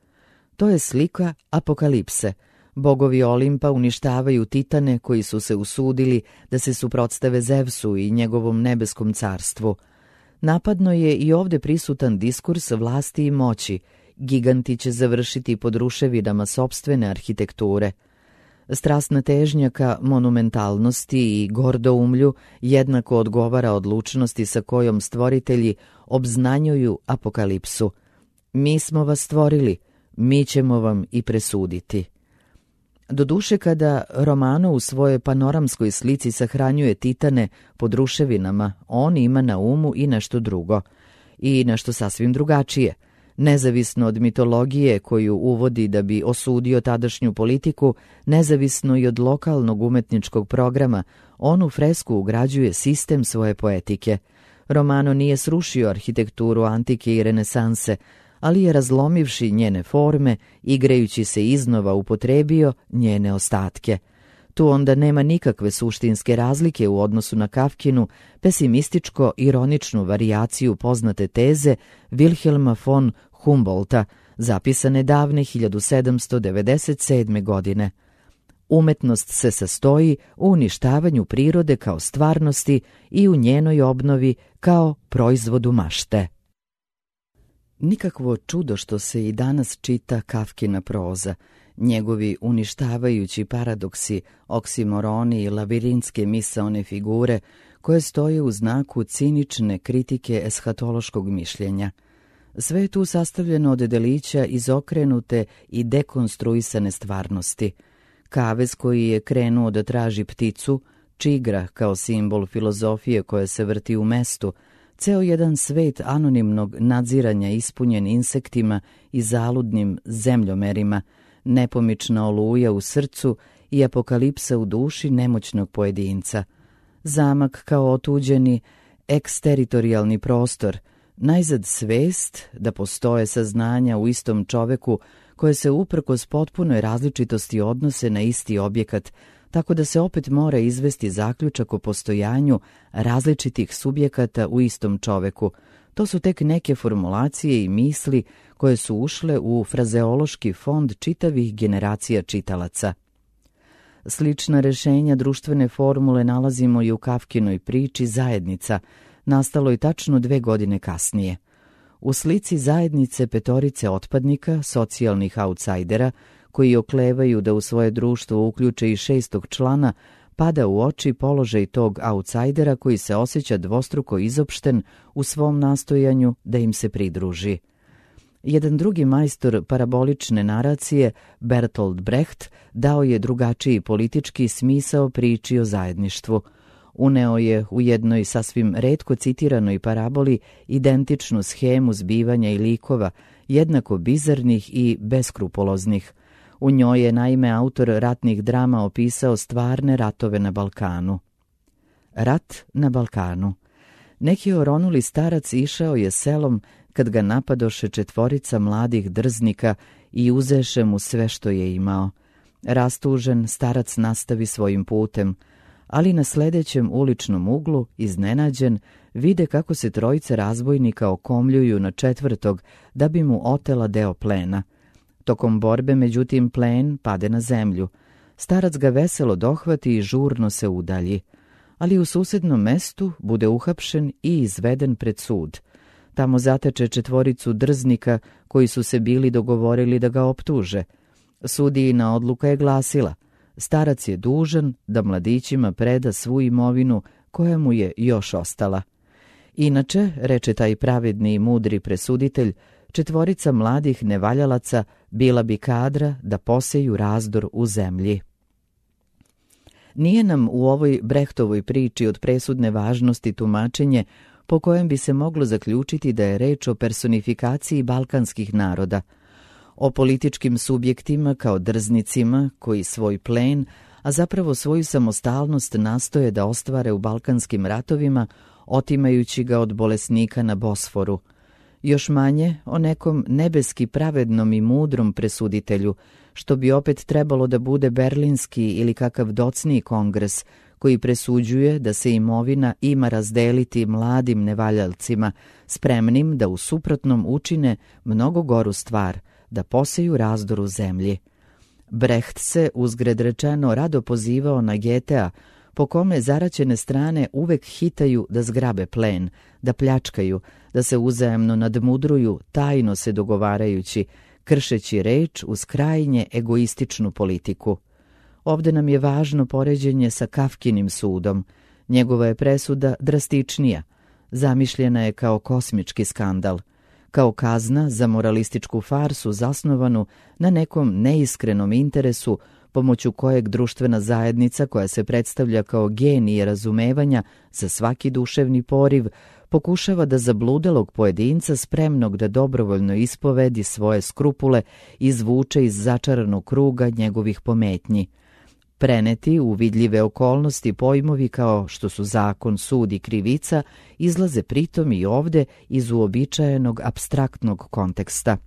To je slika apokalipse. Bogovi Olimpa uništavaju titane koji su se usudili da se suprotstave Zevsu i njegovom nebeskom carstvu. Napadno je i ovde prisutan diskurs vlasti i moći. Giganti će završiti pod ruševinama sopstvene arhitekture. Strasna težnja ka monumentalnosti i gordoumlju jednako odgovara odlučnosti sa kojom stvoritelji obznanjuju apokalipsu. Mi smo vas stvorili, mi ćemo vam i presuditi. Doduše, kada Romano u svojoj panoramskoj slici sahranjuje titane pod ruševinama, on ima na umu i nešto drugo, i nešto sasvim drugačije. Nezavisno od mitologije koju uvodi da bi osudio tadašnju politiku, nezavisno i od lokalnog umetničkog programa, on u fresku ugrađuje sistem svoje poetike. Romano nije srušio arhitekturu antike i renesanse, ali je razlomivši njene forme, igrajući se iznova upotrebio njene ostatke. Tu onda nema nikakve suštinske razlike u odnosu na Kafkinu pesimističko-ironičnu varijaciju poznate teze Wilhelma von Humboldta, zapisane davne hiljadu sedamsto devedeset sedme. godine. Umetnost se sastoji u uništavanju prirode kao stvarnosti i u njenoj obnovi kao proizvodu mašte. Nikakvo čudo što se i danas čita Kafkina proza. Njegovi uništavajući paradoksi, oksimoroni i labirintske misaone figure koje stoje u znaku cinične kritike eshatološkog mišljenja. Sve je tu sastavljeno od delića izokrenute i dekonstruisane stvarnosti. Kavez koji je krenuo da traži pticu, čigra kao simbol filozofije koja se vrti u mestu, ceo jedan svet anonimnog nadziranja ispunjen insektima i zaludnim zemljomerima, nepomična oluja u srcu i apokalipsa u duši nemoćnog pojedinca. Zamak kao otuđeni, eksteritorijalni prostor, najzad svest da postoje saznanja u istom čoveku koje se uprkos potpunoj različitosti odnose na isti objekat, tako da se opet mora izvesti zaključak o postojanju različitih subjekata u istom čoveku. To su tek neke formulacije i misli koje su ušle u frazeološki fond čitavih generacija čitalaca. Slična rešenja društvene formule nalazimo i u Kafkinoj priči Zajednica, nastaloj tačno dve godine kasnije. U slici zajednice petorice otpadnika, socijalnih autsajdera, koji oklevaju da u svoje društvo uključe i šestog člana, pada u oči položaj tog autsajdera koji se osjeća dvostruko izopšten u svom nastojanju da im se pridruži. Jedan drugi majstor parabolične naracije, Bertolt Brecht, dao je drugačiji politički smisao priči o zajedništvu. Uneo je u jednoj sasvim retko citiranoj paraboli identičnu schemu zbivanja i likova, jednako bizarnih i beskrupuloznih. U njoj je naime autor ratnih drama opisao stvarne ratove na Balkanu. Rat na Balkanu. Neki oronuli starac išao je selom kad ga napadoše četvorica mladih drznika i uzeše mu sve što je imao. Rastužen, starac nastavi svojim putem, ali na sledećem uličnom uglu, iznenađen, vide kako se trojice razbojnika okomljuju na četvrtog da bi mu otela deo plena. Tokom borbe, međutim, plen pade na zemlju. Starac ga veselo dohvati i žurno se udalji, ali u susednom mestu bude uhapšen i izveden pred sud. Tamo zateče četvoricu drznika koji su se bili dogovorili da ga optuže. Sudijina odluka je glasila: starac je dužan da mladićima preda svu imovinu koja mu je još ostala. Inače, reče taj pravedni i mudri presuditelj, četvorica mladih nevaljalaca bila bi kadra da poseju razdor u zemlji. Nije nam u ovoj Brehtovoj priči od presudne važnosti tumačenje po kojem bi se moglo zaključiti da je reč o personifikaciji balkanskih naroda, o političkim subjektima kao drznicima koji svoj plen, a zapravo svoju samostalnost nastoje da ostvare u balkanskim ratovima, otimajući ga od bolesnika na Bosforu. Još manje o nekom nebeski pravednom i mudrom presuditelju, što bi opet trebalo da bude berlinski ili kakav docniji kongres, koji presuđuje da se imovina ima razdeliti mladim nevaljalcima, spremnim da u suprotnom učine mnogo goru stvar, da poseju razdor u zemlji. Brecht se, uzgred rečeno, rado pozivao na Getea, po kome zaraćene strane uvek hitaju da zgrabe plen, da pljačkaju, da se uzajamno nadmudruju, tajno se dogovarajući, kršeći reč uz krajnje egoističnu politiku. Ovde nam je važno poređenje sa Kafkinim sudom. Njegova je presuda drastičnija. Zamišljena je kao kosmički skandal, kao kazna za moralističku farsu zasnovanu na nekom neiskrenom interesu pomoću kojeg društvena zajednica, koja se predstavlja kao genije razumevanja za svaki duševni poriv, pokušava da zabludelog pojedinca spremnog da dobrovoljno ispovedi svoje skrupule izvuče iz začaranog kruga njegovih pometnji. Preneti u vidljive okolnosti pojmovi kao što su zakon, sud i krivica izlaze pritom i ovde iz uobičajenog apstraktnog konteksta.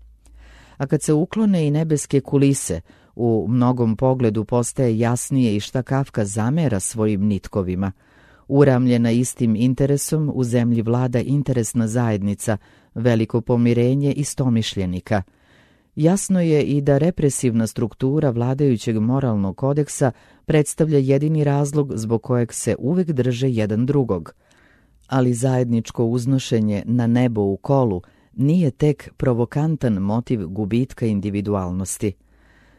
A kad se uklone i nebeske kulise, u mnogom pogledu postaje jasnije i šta Kafka zamera svojim nitkovima. Uramljena istim interesom, u zemlji vlada interesna zajednica, veliko pomirenje istomišljenika. Jasno je i da represivna struktura vladajućeg moralnog kodeksa predstavlja jedini razlog zbog kojeg se uvek drže jedan drugog. Ali zajedničko uznošenje na nebo u kolu nije tek provokantan motiv gubitka individualnosti.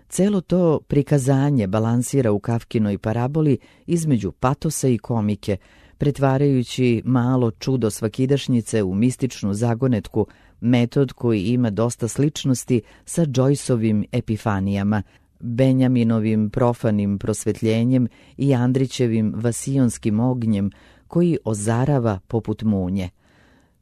Celo to prikazanje balansira u Kafkinoj paraboli između patosa i komike, pretvarajući malo čudo svakidašnjice u mističnu zagonetku, metod koji ima dosta sličnosti sa Joyceovim epifanijama, Benjaminovim profanim prosvetljenjem i Andrićevim vasijonskim ognjem koji ozarava poput munje.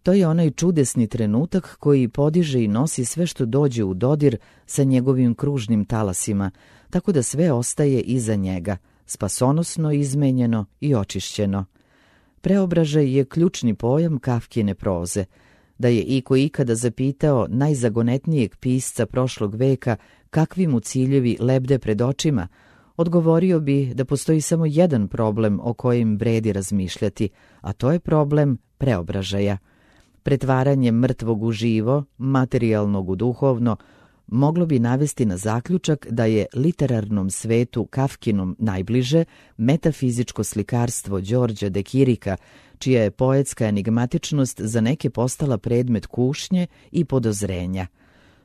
To je onaj čudesni trenutak koji podiže i nosi sve što dođe u dodir sa njegovim kružnim talasima, tako da sve ostaje iza njega, spasonosno izmenjeno i očišćeno. Preobražaj je ključni pojam Kafkine proze. Da je iko ikada zapitao najzagonetnijeg pisca prošlog veka kakvi mu ciljevi lebde pred očima, odgovorio bi da postoji samo jedan problem o kojem vredi razmišljati, a to je problem preobražaja. Pretvaranje mrtvog u živo, materijalnog u duhovno, moglo bi navesti na zaključak da je literarnom svetu Kafkinom najbliže metafizičko slikarstvo Đorđa de Kirika, čija je poetska enigmatičnost za neke postala predmet kušnje i podozrenja.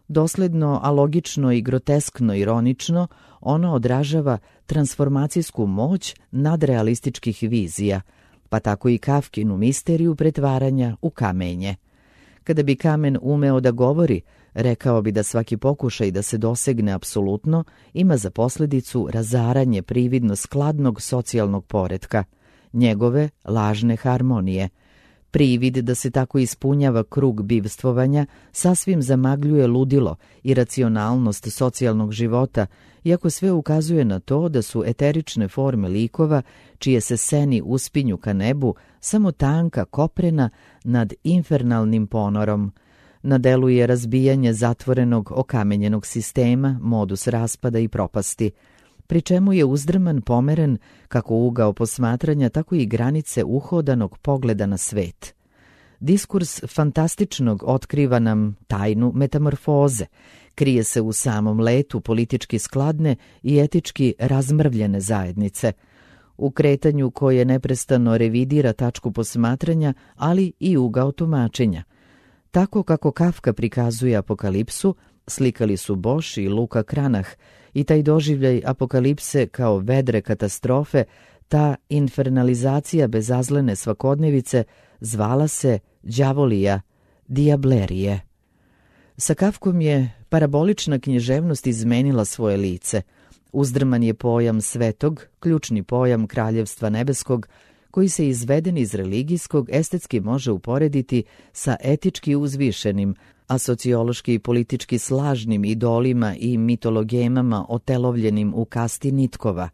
Dosledno, a logično i groteskno ironično, ono odražava transformacijsku moć nadrealističkih vizija, pa tako i Kafkinu misteriju pretvaranja u kamenje. Kada bi kamen umeo da govori, rekao bi da svaki pokušaj da se dosegne apsolutno ima za posledicu razaranje prividno skladnog socijalnog poretka, njegove lažne harmonije. Privid da se tako ispunjava krug bivstvovanja sasvim zamagljuje ludilo i racionalnost socijalnog života, iako sve ukazuje na to da su eterične forme likova, čije se seni uspinju ka nebu, samo tanka koprena nad infernalnim ponorom. Na delu je razbijanje zatvorenog okamenjenog sistema, modus raspada i propasti, pri čemu je uzdrman pomeren kako ugao posmatranja, tako i granice uhodanog pogleda na svet. Diskurs fantastičnog otkriva nam tajnu metamorfoze, krije se u samom letu politički skladne i etički razmrvljene zajednice, u kretanju koje neprestano revidira tačku posmatranja, ali i ugao tumačenja. Tako kako Kafka prikazuje apokalipsu, slikali su Bosch i Luka Cranach, i taj doživljaj apokalipse kao vedre katastrofe, ta infernalizacija bezazlene svakodnevice zvala se đavolija, diablerije. Sa Kafkom je parabolična književnost izmenila svoje lice. Uzdrman je pojam svetog, ključni pojam kraljevstva nebeskog, koji se izveden iz religijskog estetski može uporediti sa etički uzvišenim, a sociološki i politički slažnim idolima i mitologemama otelovljenim u kasti nitkova.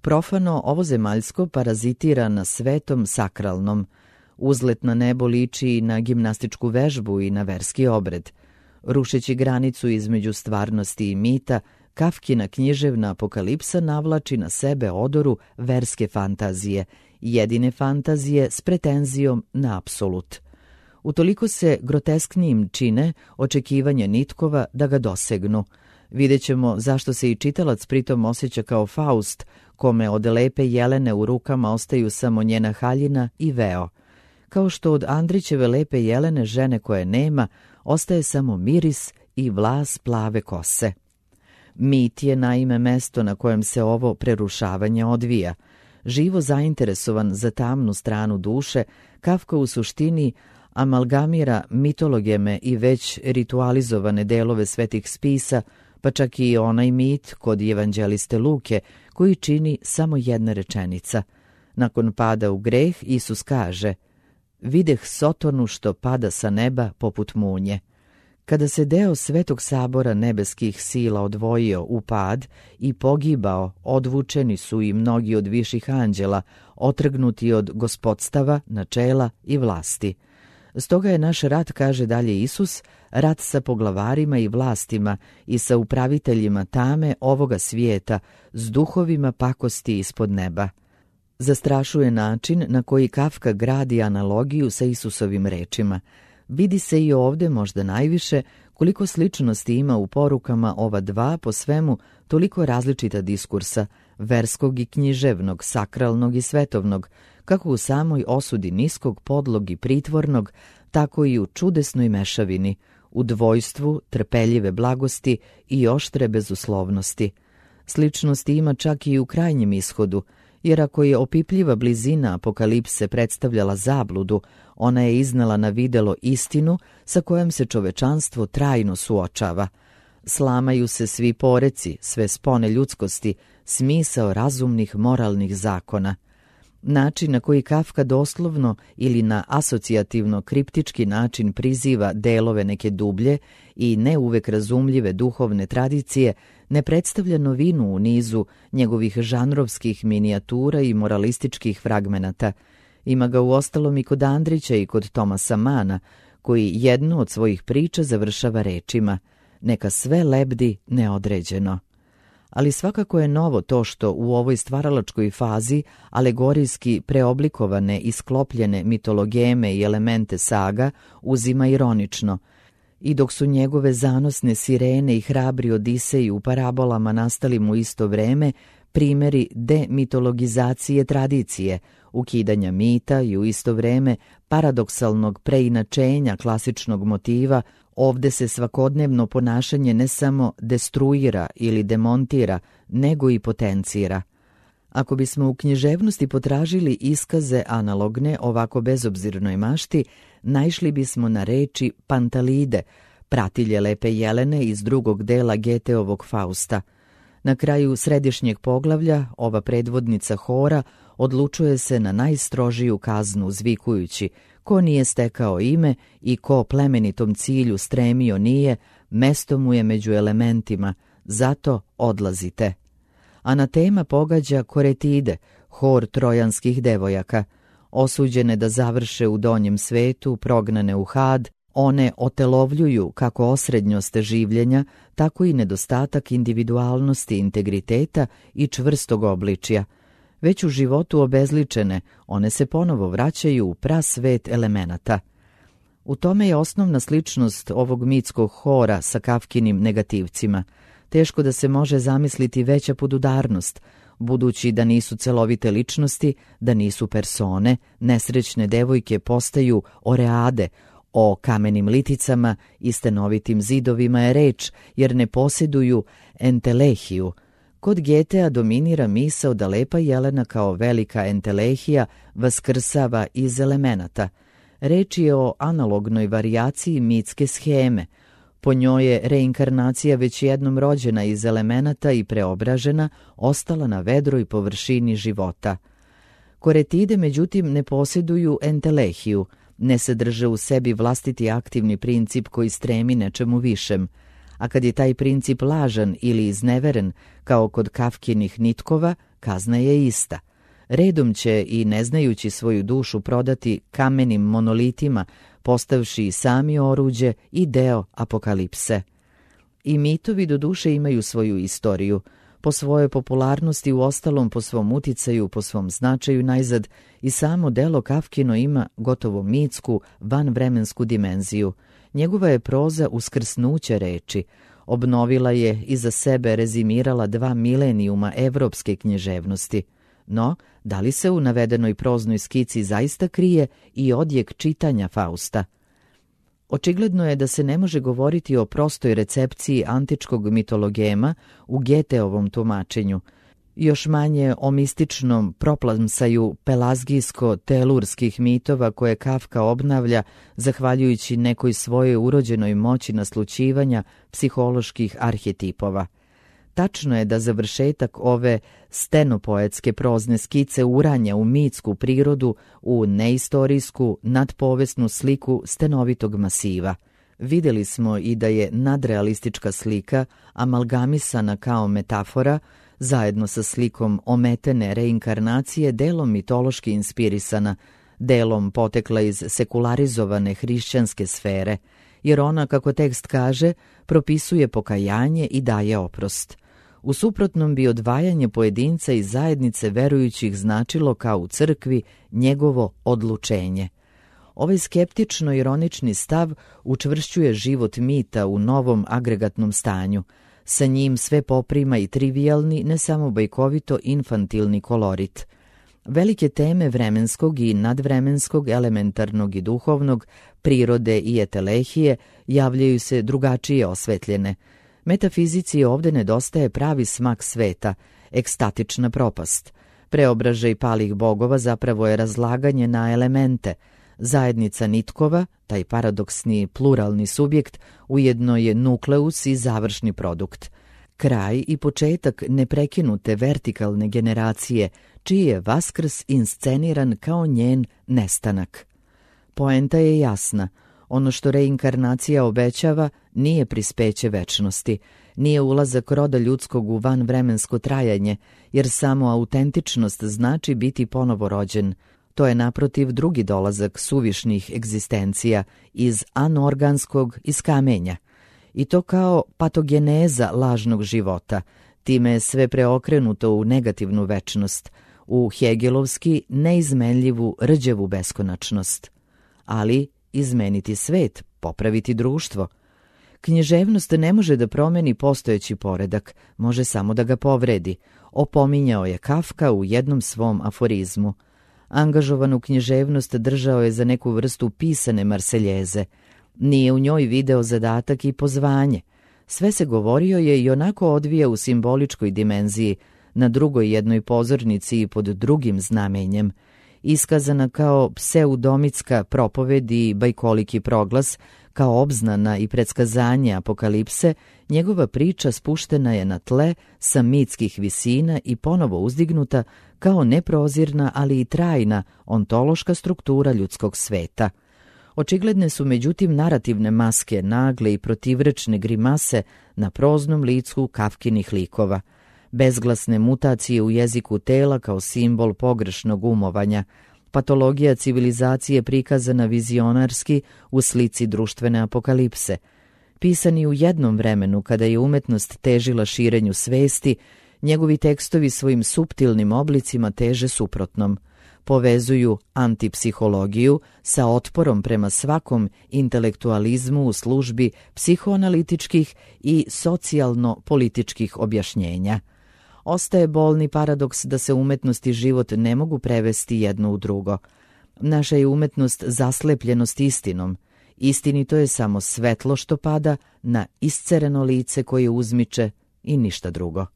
Profano ovozemaljsko parazitira na svetom sakralnom. Uzlet na nebo liči i na gimnastičku vežbu i na verski obred. Rušeći granicu između stvarnosti i mita, Kafkina književna apokalipsa navlači na sebe odoru verske fantazije, jedine fantazije s pretenzijom na apsolut. Utoliko se grotesknijim čine očekivanja nitkova da ga dosegnu. Vidjet ćemo zašto se i čitalac pritom osjeća kao Faust, kome od lepe Jelene u rukama ostaju samo njena haljina i veo. Kao što od Andrićeve lepe Jelene, žene koje nema, ostaje samo miris i vlas plave kose. Mit je naime mesto na kojem se ovo prerušavanje odvija. Živo zainteresovan za tamnu stranu duše, Kafka u suštini amalgamira mitologeme i već ritualizovane delove svetih spisa, pa čak i onaj mit kod evanđeliste Luke, koji čini samo jedna rečenica. Nakon pada u greh, Isus kaže: "Videh Sotonu što pada sa neba poput munje." Kada se deo Svetog sabora nebeskih sila odvojio u pad i pogibao, odvučeni su i mnogi od viših anđela, otrgnuti od gospodstava, načela i vlasti. Stoga je naš rat, kaže dalje Isus, rat sa poglavarima i vlastima i sa upraviteljima tame ovoga svijeta, s duhovima pakosti ispod neba. Zastrašuje način na koji Kafka gradi analogiju sa Isusovim rečima. Vidi se i ovdje možda najviše koliko sličnosti ima u porukama ova dva po svemu toliko različita diskursa, verskog i književnog, sakralnog i svetovnog, kako u samoj osudi niskog, podlog i pritvornog, tako i u čudesnoj mešavini, u dvojstvu trpeljive blagosti i oštre bezuslovnosti. Sličnosti ima čak i u krajnjem ishodu, jer ako je opipljiva blizina apokalipse predstavljala zabludu, ona je iznala na videlo istinu sa kojom se čovečanstvo trajno suočava. Slamaju se svi poreci, sve spone ljudskosti, smisao razumnih moralnih zakona. Način na koji Kafka doslovno ili na asocijativno kriptički način priziva delove neke dublje i ne uvek razumljive duhovne tradicije ne predstavlja novinu u nizu njegovih žanrovskih minijatura i moralističkih fragmenata. Ima ga uostalom i kod Andrića i kod Tomasa Mana, koji jednu od svojih priča završava rečima: "Neka sve lebdi neodređeno." Ali svakako je novo to što u ovoj stvaralačkoj fazi alegorijski preoblikovane i sklopljene mitologeme i elemente saga uzima ironično. I dok su njegove zanosne sirene i hrabri Odiseji u parabolama nastali mu isto vreme, primjeri demitologizacije tradicije, ukidanja mita i u isto vreme paradoksalnog preinačenja klasičnog motiva, ovde se svakodnevno ponašanje ne samo destruira ili demontira, nego i potencira. Ako bismo u književnosti potražili iskaze analogne ovako bezobzirnoj mašti, naišli bismo na reči Pantalide, pratilje lepe Jelene iz drugog dela Geteovog Fausta. Na kraju središnjeg poglavlja ova predvodnica hora odlučuje se na najstrožiju kaznu, zvikujući: "Ko nije stekao ime i ko plemenitom cilju stremio nije, mesto mu je među elementima, zato odlazite." Anatema pogađa Koretide, hor trojanskih devojaka. Osuđene da završe u donjem svetu, prognane u had, one otelovljuju kako osrednjost življenja, tako i nedostatak individualnosti, integriteta i čvrstog obličja. Već u životu obezličene, one se ponovo vraćaju u prasvet elemenata. U tome je osnovna sličnost ovog mitskog hora sa Kafkinim negativcima. Teško da se može zamisliti veća podudarnost, budući da nisu celovite ličnosti, da nisu persone, nesrećne devojke postaju oreade, o kamenim liticama i stenovitim zidovima je reč, jer ne posjeduju entelehiju. Kod Getea dominira misao da lepa Jelena kao velika entelehija vaskrsava iz elemenata. Reč je o analognoj varijaciji mitske sheme. Po njoj je reinkarnacija već jednom rođena iz elemenata i preobražena, ostala na vedroj površini života. Koretide, međutim, ne posjeduju entelehiju, ne sadrže u sebi vlastiti aktivni princip koji stremi nečemu višem, a kad je taj princip lažan ili izneveren, kao kod Kafkinih nitkova, kazna je ista. Redom će i ne znajući svoju dušu prodati kamenim monolitima, postavši i sami oruđe i deo apokalipse. I mitovi do duše imaju svoju istoriju, po svojoj popularnosti, u ostalom po svom uticaju, po svom značaju najzad, i samo delo Kafkino ima gotovo mitsku, vanvremensku dimenziju. Njegova je proza uskrsnuće reči. Obnovila je i za sebe rezimirala dva milenijuma evropske književnosti. No, da li se u navedenoj proznoj skici zaista krije i odjek čitanja Fausta? Očigledno je da se ne može govoriti o prostoj recepciji antičkog mitologema u Geteovom tumačenju, još manje o mističnom proplamsaju pelazgijsko-telurskih mitova koje Kafka obnavlja zahvaljujući nekoj svojoj urođenoj moći naslućivanja psiholoških arhetipova. Tačno je da završetak ove stenopoetske prozne skice uranja u mitsku prirodu, u neistorijsku, nadpovesnu sliku stenovitog masiva. Vidjeli smo i da je nadrealistička slika amalgamisana kao metafora, zajedno sa slikom ometene reinkarnacije delom mitološki inspirisana, delom potekla iz sekularizovane hrišćanske sfere, jer ona, kako tekst kaže, propisuje pokajanje i daje oprost. U suprotnom bi odvajanje pojedinca iz zajednice verujućih značilo kao u crkvi njegovo odlučenje. Ovaj skeptično-ironični stav učvršćuje život mita u novom agregatnom stanju. Sa njim sve poprima i trivijalni, ne samo bajkovito infantilni kolorit. Velike teme vremenskog i nadvremenskog, elementarnog i duhovnog, prirode i etelehije javljaju se drugačije osvetljene. Metafizici ovde nedostaje pravi smak sveta, ekstatična propast. Preobražaj palih bogova zapravo je razlaganje na elemente. Zajednica nitkova, taj paradoksni pluralni subjekt, ujedno je nukleus i završni produkt. Kraj i početak neprekinute vertikalne generacije, čiji je vaskrs insceniran kao njen nestanak. Poenta je jasna. Ono što reinkarnacija obećava nije prispeće večnosti, nije ulazak roda ljudskog u vanvremensko trajanje, jer samo autentičnost znači biti ponovo rođen. To je naprotiv drugi dolazak suvišnih egzistencija iz anorganskog, iz kamenja. I to kao patogeneza lažnog života. Time je sve preokrenuto u negativnu večnost, u hegelovski neizmenljivu rđevu beskonačnost. Ali izmeniti svet, popraviti društvo. Književnost ne može da promeni postojeći poredak, može samo da ga povredi, opominjao je Kafka u jednom svom aforizmu. Angažovanu književnost držao je za neku vrstu pisane marseljeze. Nije u njoj video zadatak i pozvanje. Sve se govorio je i onako odvija u simboličkoj dimenziji, na drugoj jednoj pozornici i pod drugim znamenjem. Iskazana kao pseudomitska propoved i bajkoliki proglas, kao obznana i predskazanje apokalipse, njegova priča spuštena je na tle sa mitskih visina i ponovo uzdignuta kao neprozirna, ali i trajna ontološka struktura ljudskog sveta. Očigledne su međutim narativne maske, nagle i protivrečne grimase na proznom licu Kafkinih likova. Bezglasne mutacije u jeziku tela kao simbol pogrešnog umovanja, patologija civilizacije prikazana vizionarski u slici društvene apokalipse. Pisani u jednom vremenu kada je umetnost težila širenju svesti, njegovi tekstovi svojim suptilnim oblicima teže suprotnom. Povezuju antipsihologiju sa otporom prema svakom intelektualizmu u službi psihoanalitičkih i socijalno-političkih objašnjenja. Ostaje bolni paradoks da se umetnost i život ne mogu prevesti jedno u drugo. Naša je umetnost zaslepljenost istinom. Istinito je samo svetlo što pada na iscereno lice koje uzmiče i ništa drugo.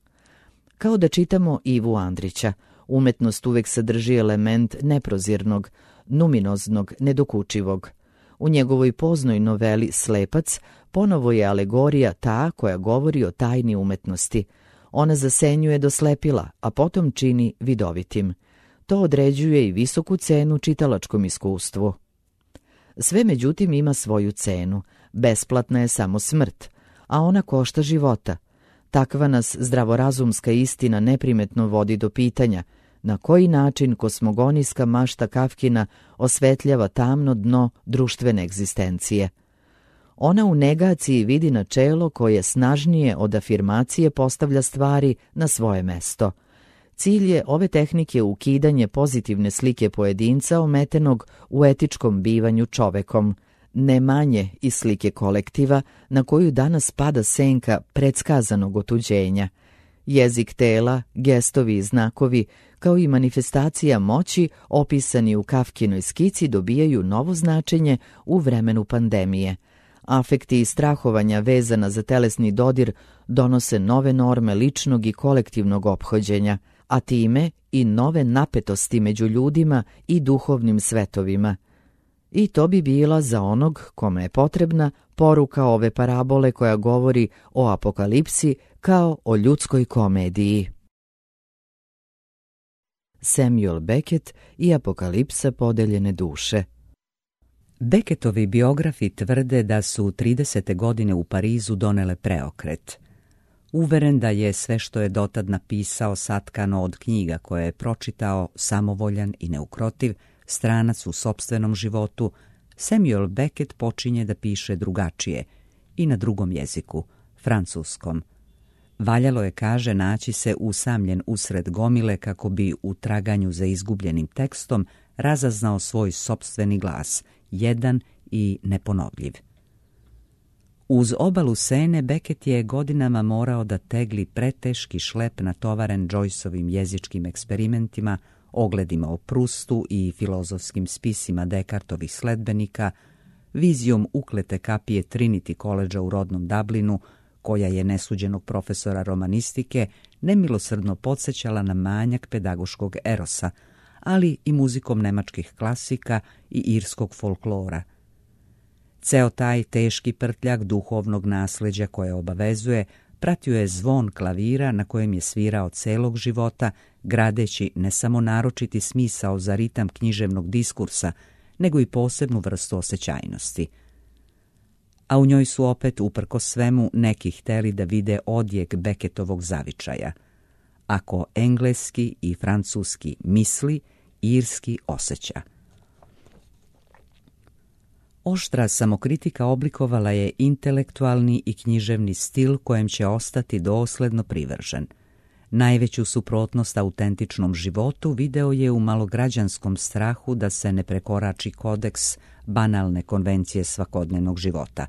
Kao da čitamo Ivu Andrića, umetnost uvek sadrži element neprozirnog, numinoznog, nedokučivog. U njegovoj poznoj noveli Slepac ponovo je alegorija ta koja govori o tajni umetnosti. Ona zasenjuje do slepila, a potom čini vidovitim. To određuje i visoku cenu čitalačkom iskustvu. Sve međutim ima svoju cenu. Besplatna je samo smrt, a ona košta života. Takva nas zdravorazumska istina neprimetno vodi do pitanja na koji način kosmogonijska mašta Kafkina osvetljava tamno dno društvene egzistencije. Ona u negaciji vidi načelo koje snažnije od afirmacije postavlja stvari na svoje mesto. Cilj je ove tehnike ukidanje pozitivne slike pojedinca ometenog u etičkom bivanju čovekom, ne manje iz slike kolektiva na koju danas pada senka predskazanog otuđenja. Jezik tela, gestovi i znakovi, kao i manifestacija moći opisani u Kafkinoj skici dobijaju novo značenje u vremenu pandemije. Afekti i strahovanja vezana za telesni dodir donose nove norme ličnog i kolektivnog ophođenja, a time i nove napetosti među ljudima i duhovnim svetovima. I to bi bila za onog kome je potrebna poruka ove parabole koja govori o apokalipsi kao o ljudskoj komediji. Samuel Beckett i apokalipsa podeljene duše. Beckettovi biografi tvrde da su tridesete godine u Parizu donele preokret. Uveren da je sve što je dotad napisao satkano od knjiga koje je pročitao, samovoljan i neukrotiv, stranac u sopstvenom životu, Samuel Beckett počinje da piše drugačije i na drugom jeziku, francuskom. Valjalo je, kaže, naći se usamljen usred gomile kako bi u traganju za izgubljenim tekstom razaznao svoj sopstveni glas, jedan i neponovljiv. Uz obalu Sene Beckett je godinama morao da tegli preteški šlep natovaren Joyceovim jezičkim eksperimentima, ogledima o Prustu i filozofskim spisima Descartovih sledbenika, vizijom uklete kapije Trinity College u rodnom Dublinu, koja je nesuđenog profesora romanistike nemilosrdno podsjećala na manjak pedagoškog erosa, ali i muzikom nemačkih klasika i irskog folklora. Ceo taj teški prtljak duhovnog nasleđa koje obavezuje pratio je zvon klavira na kojem je svirao celog života, gradeći ne samo naročiti smisao za ritam književnog diskursa, nego i posebnu vrstu osjećajnosti. A u njoj su opet, uprkos svemu, neki hteli da vide odjek Beckettovog zavičaja. Ako engleski i francuski misli, irski osjeća. Oštra samokritika oblikovala je intelektualni i književni stil kojem će ostati dosledno privržen. Najveću suprotnost autentičnom životu video je u malograđanskom strahu da se ne prekorači kodeks banalne konvencije svakodnevnog života.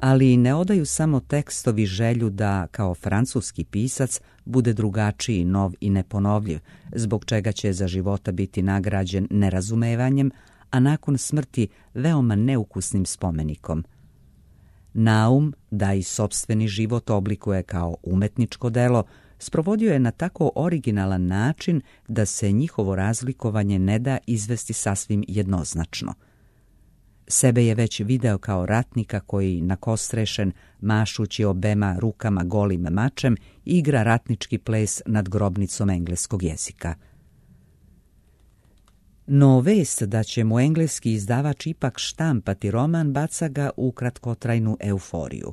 Ali ne odaju samo tekstovi želju da, kao francuski pisac, bude drugačiji, nov i neponovljiv, zbog čega će za života biti nagrađen nerazumevanjem, a nakon smrti veoma neukusnim spomenikom. Naum, da i sopstveni život oblikuje kao umetničko delo, sprovodio je na tako originalan način da se njihovo razlikovanje ne da izvesti sasvim jednoznačno. Sebe je već video kao ratnika koji, nakostrešen, mašući obema rukama golim mačem, igra ratnički ples nad grobnicom engleskog jezika. No vest da će mu engleski izdavač ipak štampati roman baca ga u kratkotrajnu euforiju.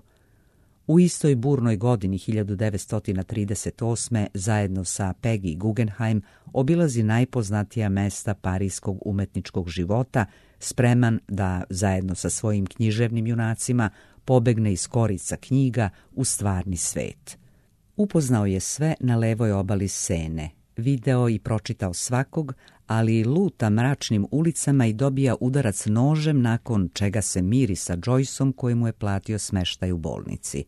U istoj burnoj godini hiljadu devetsto trideset osme zajedno sa Peggy Guggenheim obilazi najpoznatija mesta parijskog umetničkog života, spreman da zajedno sa svojim književnim junacima pobegne iz korica knjiga u stvarni svet. Upoznao je sve na levoj obali Sene, video i pročitao svakog, ali luta mračnim ulicama i dobija udarac nožem, nakon čega se miri sa Joyceom koji mu je platio smeštaj u bolnici.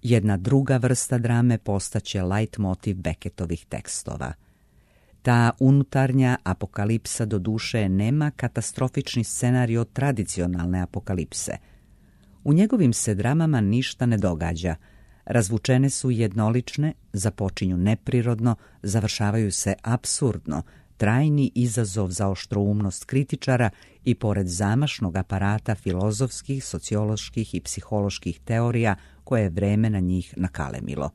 Jedna druga vrsta drame postaće leitmotiv Beckettovih tekstova. Ta unutarnja apokalipsa do duše nema katastrofični scenario tradicionalne apokalipse. U njegovim se dramama ništa ne događa. Razvučene su jednolične, započinju neprirodno, završavaju se apsurdno, trajni izazov za oštroumnost kritičara i pored zamašnog aparata filozofskih, socioloških i psiholoških teorija koje je vreme na njih nakalemilo.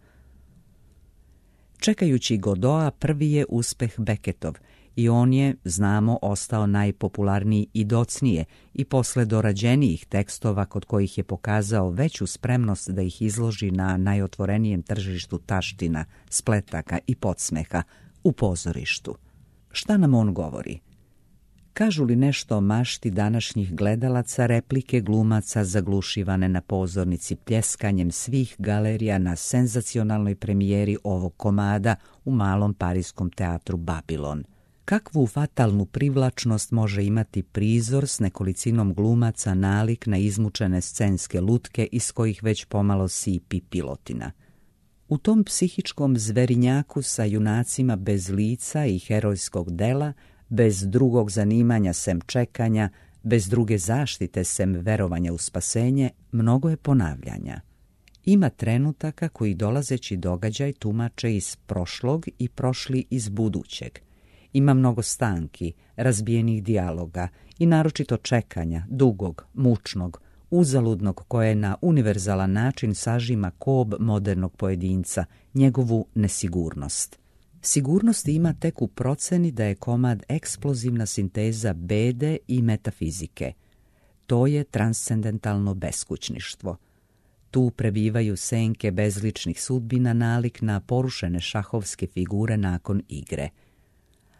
Čekajući Godoa, prvi je uspeh Beckettov i on je, znamo, ostao najpopularniji i docnije i posle dorađenijih tekstova kod kojih je pokazao veću spremnost da ih izloži na najotvorenijem tržištu taština, spletaka i podsmeha u pozorištu. Šta nam on govori? Kažu li nešto o mašti današnjih gledalaca, replike glumaca zaglušivane na pozornici pljeskanjem svih galerija na senzacionalnoj premijeri ovog komada u malom parijskom teatru Babilon? Kakvu fatalnu privlačnost može imati prizor s nekolicinom glumaca nalik na izmučene scenske lutke iz kojih već pomalo sipi pilotina. U tom psihičkom zverinjaku sa junacima bez lica i herojskog dela, bez drugog zanimanja sem čekanja, bez druge zaštite sem verovanja u spasenje, mnogo je ponavljanja. Ima trenutaka koji dolazeći događaj tumače iz prošlog i prošli iz budućeg. Ima mnogo stanki, razbijenih dijaloga i naročito čekanja, dugog, mučnog, uzaludnog koje na univerzalan način sažima kob modernog pojedinca, njegovu nesigurnost. Sigurnost ima tek u proceni da je komad eksplozivna sinteza bede i metafizike. To je transcendentalno beskućništvo. Tu prebivaju senke bezličnih sudbina nalik na porušene šahovske figure nakon igre.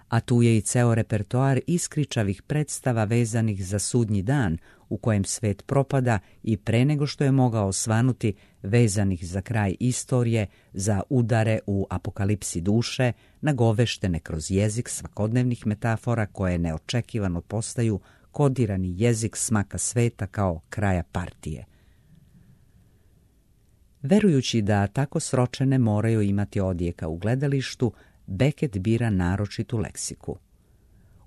A tu je i ceo repertoar iskričavih predstava vezanih za sudnji dan u kojem svet propada i pre nego što je mogao svanuti, vezanih za kraj istorije, za udare u apokalipsi duše, nagoveštene kroz jezik svakodnevnih metafora koje neočekivano postaju kodirani jezik smaka sveta kao kraja partije. Verujući da tako sročene moraju imati odjeka u gledalištu, Beckett bira naročitu leksiku.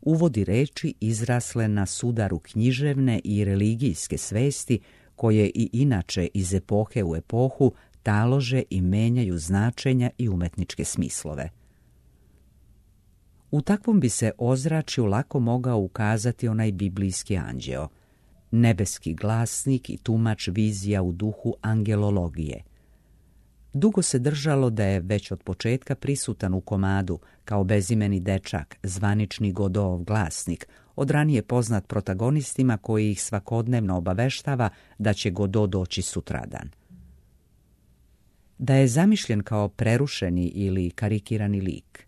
Uvodi reči izrasle na sudaru književne i religijske svesti koje i inače iz epohe u epohu talože i menjaju značenja i umetničke smislove. U takvom bi se ozračju lako mogao ukazati onaj biblijski anđeo, nebeski glasnik i tumač vizija u duhu angelologije. Dugo se držalo da je već od početka prisutan u komadu kao bezimeni dečak, zvanični Godotov glasnik, od ranije poznat protagonistima koji ih svakodnevno obaveštava da će Godot doći sutradan. Da je zamišljen kao prerušeni ili karikirani lik.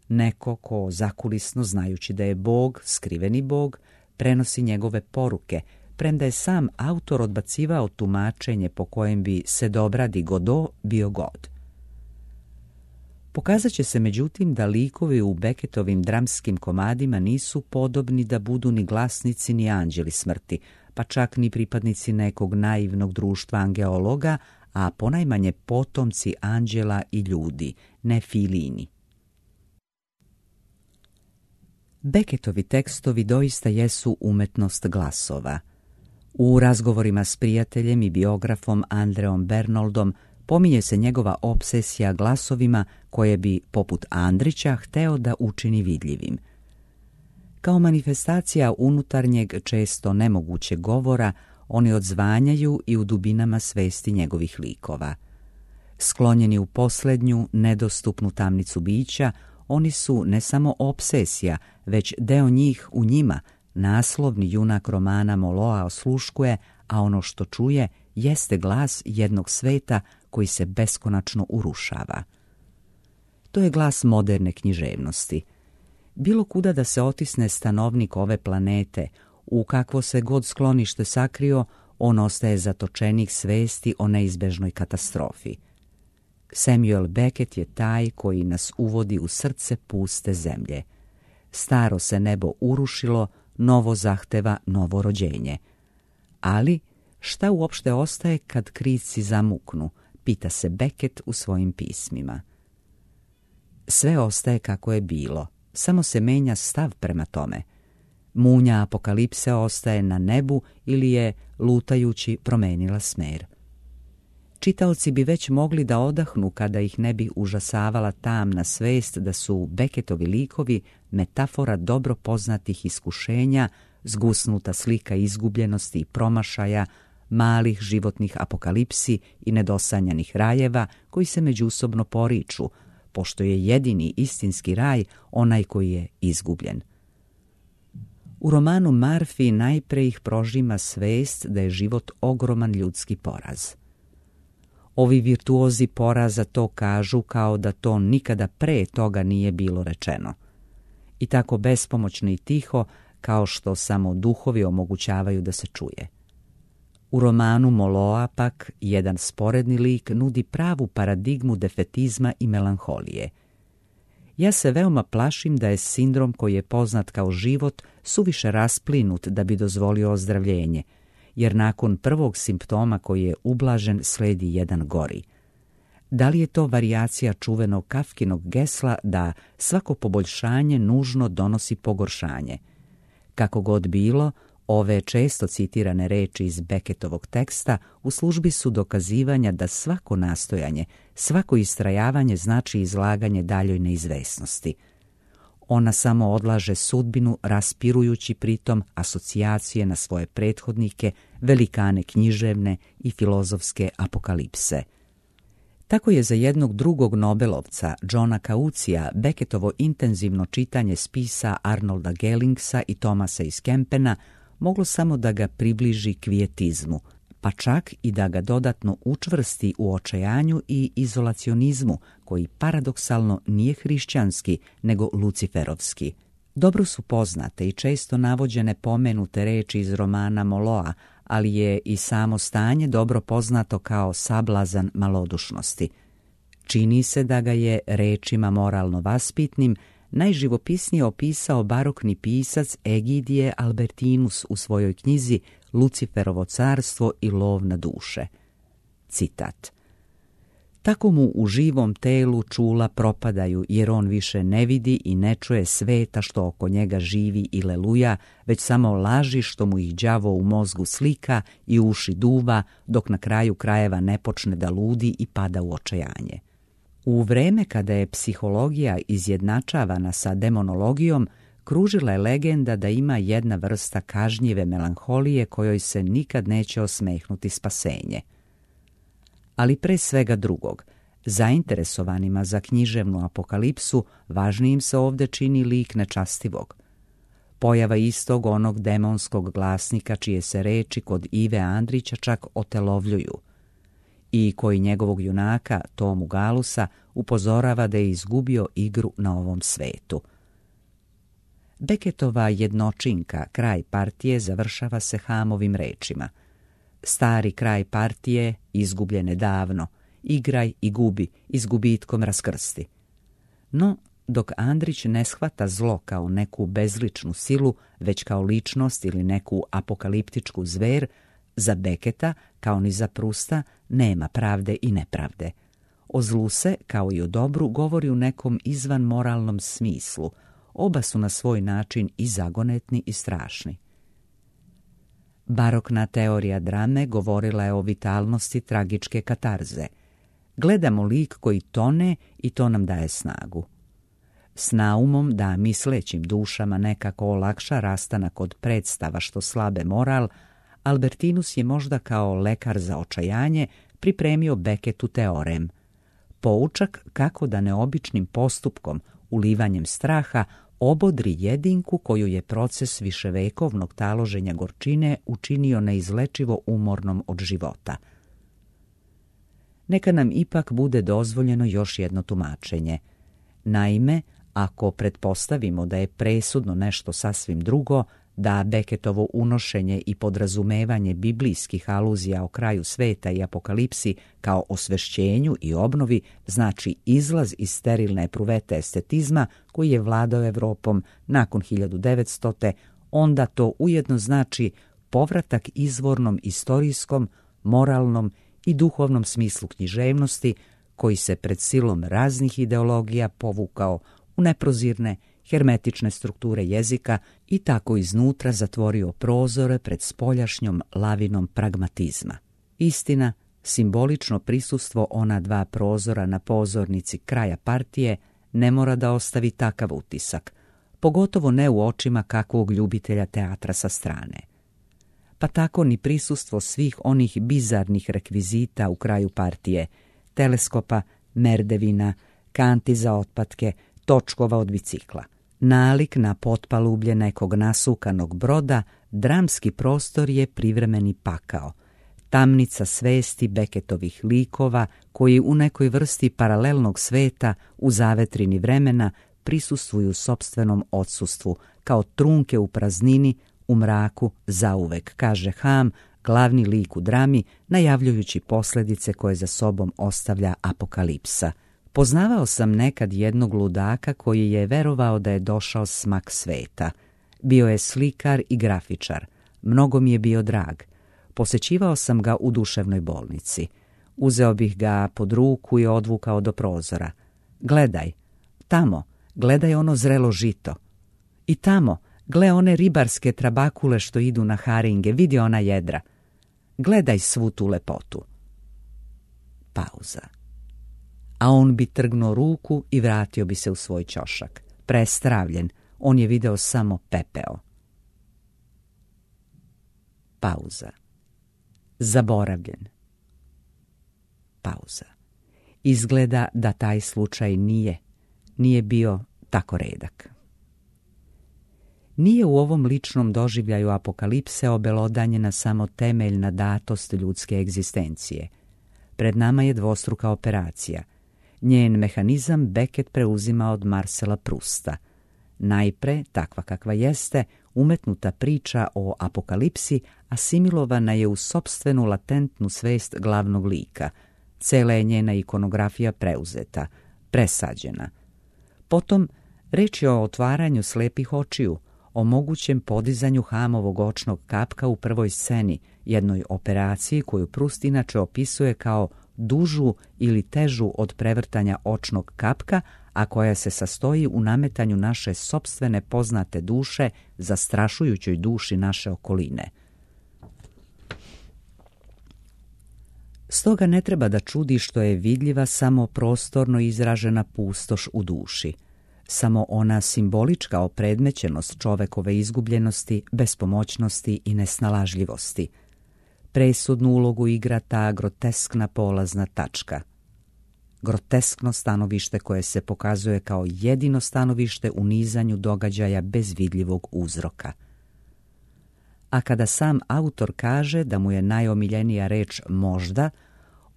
Neko ko zakulisno, znajući da je Bog, skriveni Bog, prenosi njegove poruke, premda je sam autor odbacivao tumačenje po kojem bi se dobradi Godot bio God. Pokazat će se međutim da likovi u Beckettovim dramskim komadima nisu podobni da budu ni glasnici ni anđeli smrti, pa čak ni pripadnici nekog naivnog društva angeologa, a ponajmanje potomci anđela i ljudi, ne filini. Beckettovi tekstovi doista jesu umetnost glasova. U razgovorima s prijateljem i biografom Andreom Bernoldom pominje se njegova obsesija glasovima koje bi, poput Andrića, hteo da učini vidljivim. Kao manifestacija unutarnjeg, često nemogućeg govora, oni odzvanjaju i u dubinama svesti njegovih likova. Sklonjeni u posljednju, nedostupnu tamnicu bića, oni su ne samo obsesija, već deo njih u njima. Naslovni junak romana Moloa osluškuje, a ono što čuje jeste glas jednog sveta koji se beskonačno urušava. To je glas moderne književnosti. Bilo kuda da se otisne stanovnik ove planete, u kakvo se god sklonište sakrio, on ostaje zatočenik svesti o neizbežnoj katastrofi. Samuel Beckett je taj koji nas uvodi u srce puste zemlje. Staro se nebo urušilo, novo zahteva novo rođenje. Ali šta uopšte ostaje kad krici zamuknu, pita se Beckett u svojim pismima. Sve ostaje kako je bilo, samo se menja stav prema tome. Munja apokalipse ostaje na nebu ili je, lutajući, promenila smer. Čitaoci bi već mogli da odahnu kada ih ne bi užasavala tamna svest da su Beckettovi likovi metafora dobro poznatih iskušenja, zgusnuta slika izgubljenosti i promašaja, malih životnih apokalipsi i nedosanjanih rajeva koji se međusobno poriču, pošto je jedini istinski raj onaj koji je izgubljen. U romanu Marfi najpre ih prožima svest da je život ogroman ljudski poraz. Ovi virtuozi poraza to kažu kao da to nikada pre toga nije bilo rečeno. I tako bespomoćno i tiho, kao što samo duhovi omogućavaju da se čuje. U romanu Moloa pak jedan sporedni lik nudi pravu paradigmu defetizma i melanholije. Ja se veoma plašim da je sindrom koji je poznat kao život suviše rasplinut da bi dozvolio ozdravljenje, jer nakon prvog simptoma koji je ublažen sledi jedan gori. Da li je to varijacija čuvenog Kafkinog gesla da svako poboljšanje nužno donosi pogoršanje? Kako god bilo, ove često citirane reči iz Beckettovog teksta u službi su dokazivanja da svako nastojanje, svako istrajavanje znači izlaganje daljoj neizvesnosti. Ona samo odlaže sudbinu, raspirujući pritom asocijacije na svoje prethodnike, velikane književne i filozofske apokalipse. Tako je za jednog drugog Nobelovca, Johna Kaucija, Beckettovo intenzivno čitanje spisa Arnolda Gellingsa i Thomasa iz Kempena moglo samo da ga približi kvijetizmu, pa čak i da ga dodatno učvrsti u očajanju i izolacionizmu, koji paradoksalno nije hrišćanski, nego luciferovski. Dobro su poznate i često navođene pomenute reči iz romana Moloa, ali je i samo stanje dobro poznato kao sablazan malodušnosti. Čini se da ga je rečima moralno vaspitnim najživopisnije opisao barokni pisac Egidije Albertinus u svojoj knjizi Luciferovo carstvo i lov na duše. Citat: Tako mu u živom telu čula propadaju, jer on više ne vidi i ne čuje sveta što oko njega živi i leluja, već samo laži što mu ih đavo u mozgu slika i uši duva, dok na kraju krajeva ne počne da ludi i pada u očajanje. U vreme kada je psihologija izjednačavana sa demonologijom, kružila je legenda da ima jedna vrsta kažnjive melanholije kojoj se nikad neće osmehnuti spasenje. Ali pre svega drugog, zainteresovanima za književnu apokalipsu, važnijim se ovde čini lik nečastivog. Pojava istog onog demonskog glasnika čije se reči kod Ive Andrića čak otelovljuju i koji njegovog junaka, Tomu Galusa, upozorava da je izgubio igru na ovom svetu. Beckettova jednočinka, kraj partije, završava se Hamovim rečima: Stari kraj partije, izgubljene davno, igraj i gubi, i s gubitkom raskrsti. No, dok Andrić ne shvata zlo kao neku bezličnu silu, već kao ličnost ili neku apokaliptičku zver, za Becketta, kao ni za Prusta, nema pravde i nepravde. O zlu se, kao i o dobru, govori u nekom izvan moralnom smislu. Oba su na svoj način i zagonetni i strašni. Barokna teorija drame govorila je o vitalnosti tragičke katarze. Gledamo lik koji tone i to nam daje snagu. S naumom da mislećim dušama nekako olakša rastanak od predstava što slabe moral, Albertinus je možda kao lekar za očajanje pripremio Beckettu teorem. Poučak kako da neobičnim postupkom, ulivanjem straha, obodri jedinku koju je proces viševekovnog taloženja gorčine učinio neizlečivo umornom od života. Neka nam ipak bude dozvoljeno još jedno tumačenje. Naime, ako pretpostavimo da je presudno nešto sasvim drugo, da Beckettovo unošenje i podrazumevanje biblijskih aluzija o kraju sveta i apokalipsi kao osvešćenju i obnovi znači izlaz iz sterilne epruvete estetizma koji je vladao Evropom nakon hiljadu devetstote. onda to ujedno znači povratak izvornom istorijskom, moralnom i duhovnom smislu književnosti koji se pred silom raznih ideologija povukao u neprozirne, hermetične strukture jezika i tako iznutra zatvorio prozore pred spoljašnjom lavinom pragmatizma. Istina, simbolično prisustvo ona dva prozora na pozornici kraja partije ne mora da ostavi takav utisak, pogotovo ne u očima kakvog ljubitelja teatra sa strane. Pa tako ni prisustvo svih onih bizarnih rekvizita u kraju partije, teleskopa, merdevina, kanti za otpatke, točkova od bicikla. Nalik na potpalublje nekog nasukanog broda, dramski prostor je privremeni pakao, tamnica svesti Beckettovih likova koji u nekoj vrsti paralelnog sveta u zavetrini vremena prisustvuju sopstvenom odsustvu, kao trunke u praznini, u mraku zauvek, kaže Ham, glavni lik u drami, najavljujući posljedice koje za sobom ostavlja apokalipsa. Poznavao sam nekad jednog ludaka koji je verovao da je došao smak sveta. Bio je slikar i grafičar. Mnogo mi je bio drag. Posećivao sam ga u duševnoj bolnici. Uzeo bih ga pod ruku i odvukao do prozora. Gledaj, tamo, gledaj ono zrelo žito. I tamo, gle one ribarske trabakule što idu na haringe, vidi ona jedra. Gledaj svu tu lepotu. Pauza. A on bi trgnuo ruku i vratio bi se u svoj ćošak. Prestravljen, on je video samo pepeo. Pauza. Zaboravljen. Pauza. Izgleda da taj slučaj nije, nije bio tako redak. Nije u ovom ličnom doživljaju apokalipse obelodanjena samo temeljna datost ljudske egzistencije. Pred nama je dvostruka operacija. Njen mehanizam Beckett preuzima od Marcela Prusta. Najpre, takva kakva jeste, umetnuta priča o apokalipsi asimilovana je u sopstvenu latentnu svest glavnog lika. Cela je njena ikonografija preuzeta, presađena. Potom, reč je o otvaranju slepih očiju, o mogućem podizanju Hamovog očnog kapka u prvoj sceni, jednoj operaciji koju Prust inače opisuje kao dužu ili težu od prevrtanja očnog kapka, a koja se sastoji u nametanju naše sopstvene poznate duše zastrašujućoj duši naše okoline. Stoga ne treba da čudi što je vidljiva samo prostorno izražena pustoš u duši, samo ona simbolička opredmećenost čovekove izgubljenosti, bespomoćnosti i nesnalažljivosti. Presudnu ulogu igra ta groteskna polazna tačka. Groteskno stanovište koje se pokazuje kao jedino stanovište u nizanju događaja bez vidljivog uzroka. A kada sam autor kaže da mu je najomiljenija reč možda,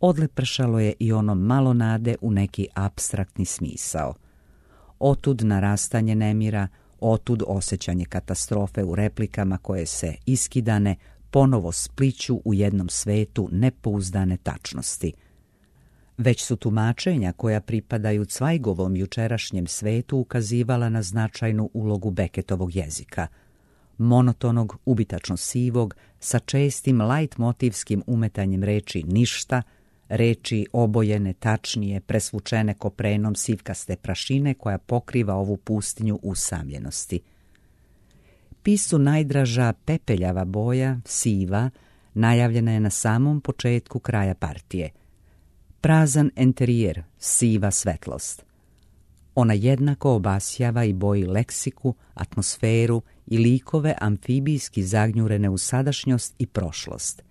odlepršalo je i ono malo nade u neki apstraktni smisao. Otud narastanje nemira, otud osjećanje katastrofe u replikama koje se iskidane ponovo spliću u jednom svetu nepouzdane tačnosti. Već su tumačenja koja pripadaju Cvajgovom jučerašnjem svetu ukazivala na značajnu ulogu Beckettovog jezika. Monotonog, ubitačno sivog, sa čestim lajtmotivskim umetanjem reči ništa, reči obojene, tačnije, presvučene koprenom sivkaste prašine koja pokriva ovu pustinju usamljenosti. Pisu najdraža pepeljava boja, siva, najavljena je na samom početku kraja partije. Prazan enterijer, siva svetlost. Ona jednako obasjava i boji leksiku, atmosferu i likove amfibijski zagnjurene u sadašnjost i prošlost.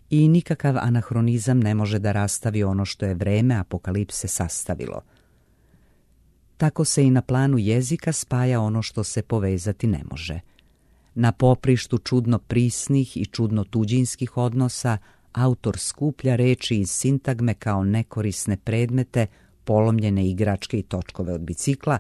I nikakav anahronizam ne može da rastavi ono što je vreme apokalipse sastavilo. Tako se i na planu jezika spaja ono što se povezati ne može. Na poprištu čudno prisnih i čudno tuđinskih odnosa autor skuplja reči iz sintagme kao nekorisne predmete, polomljene igračke i točkove od bicikla,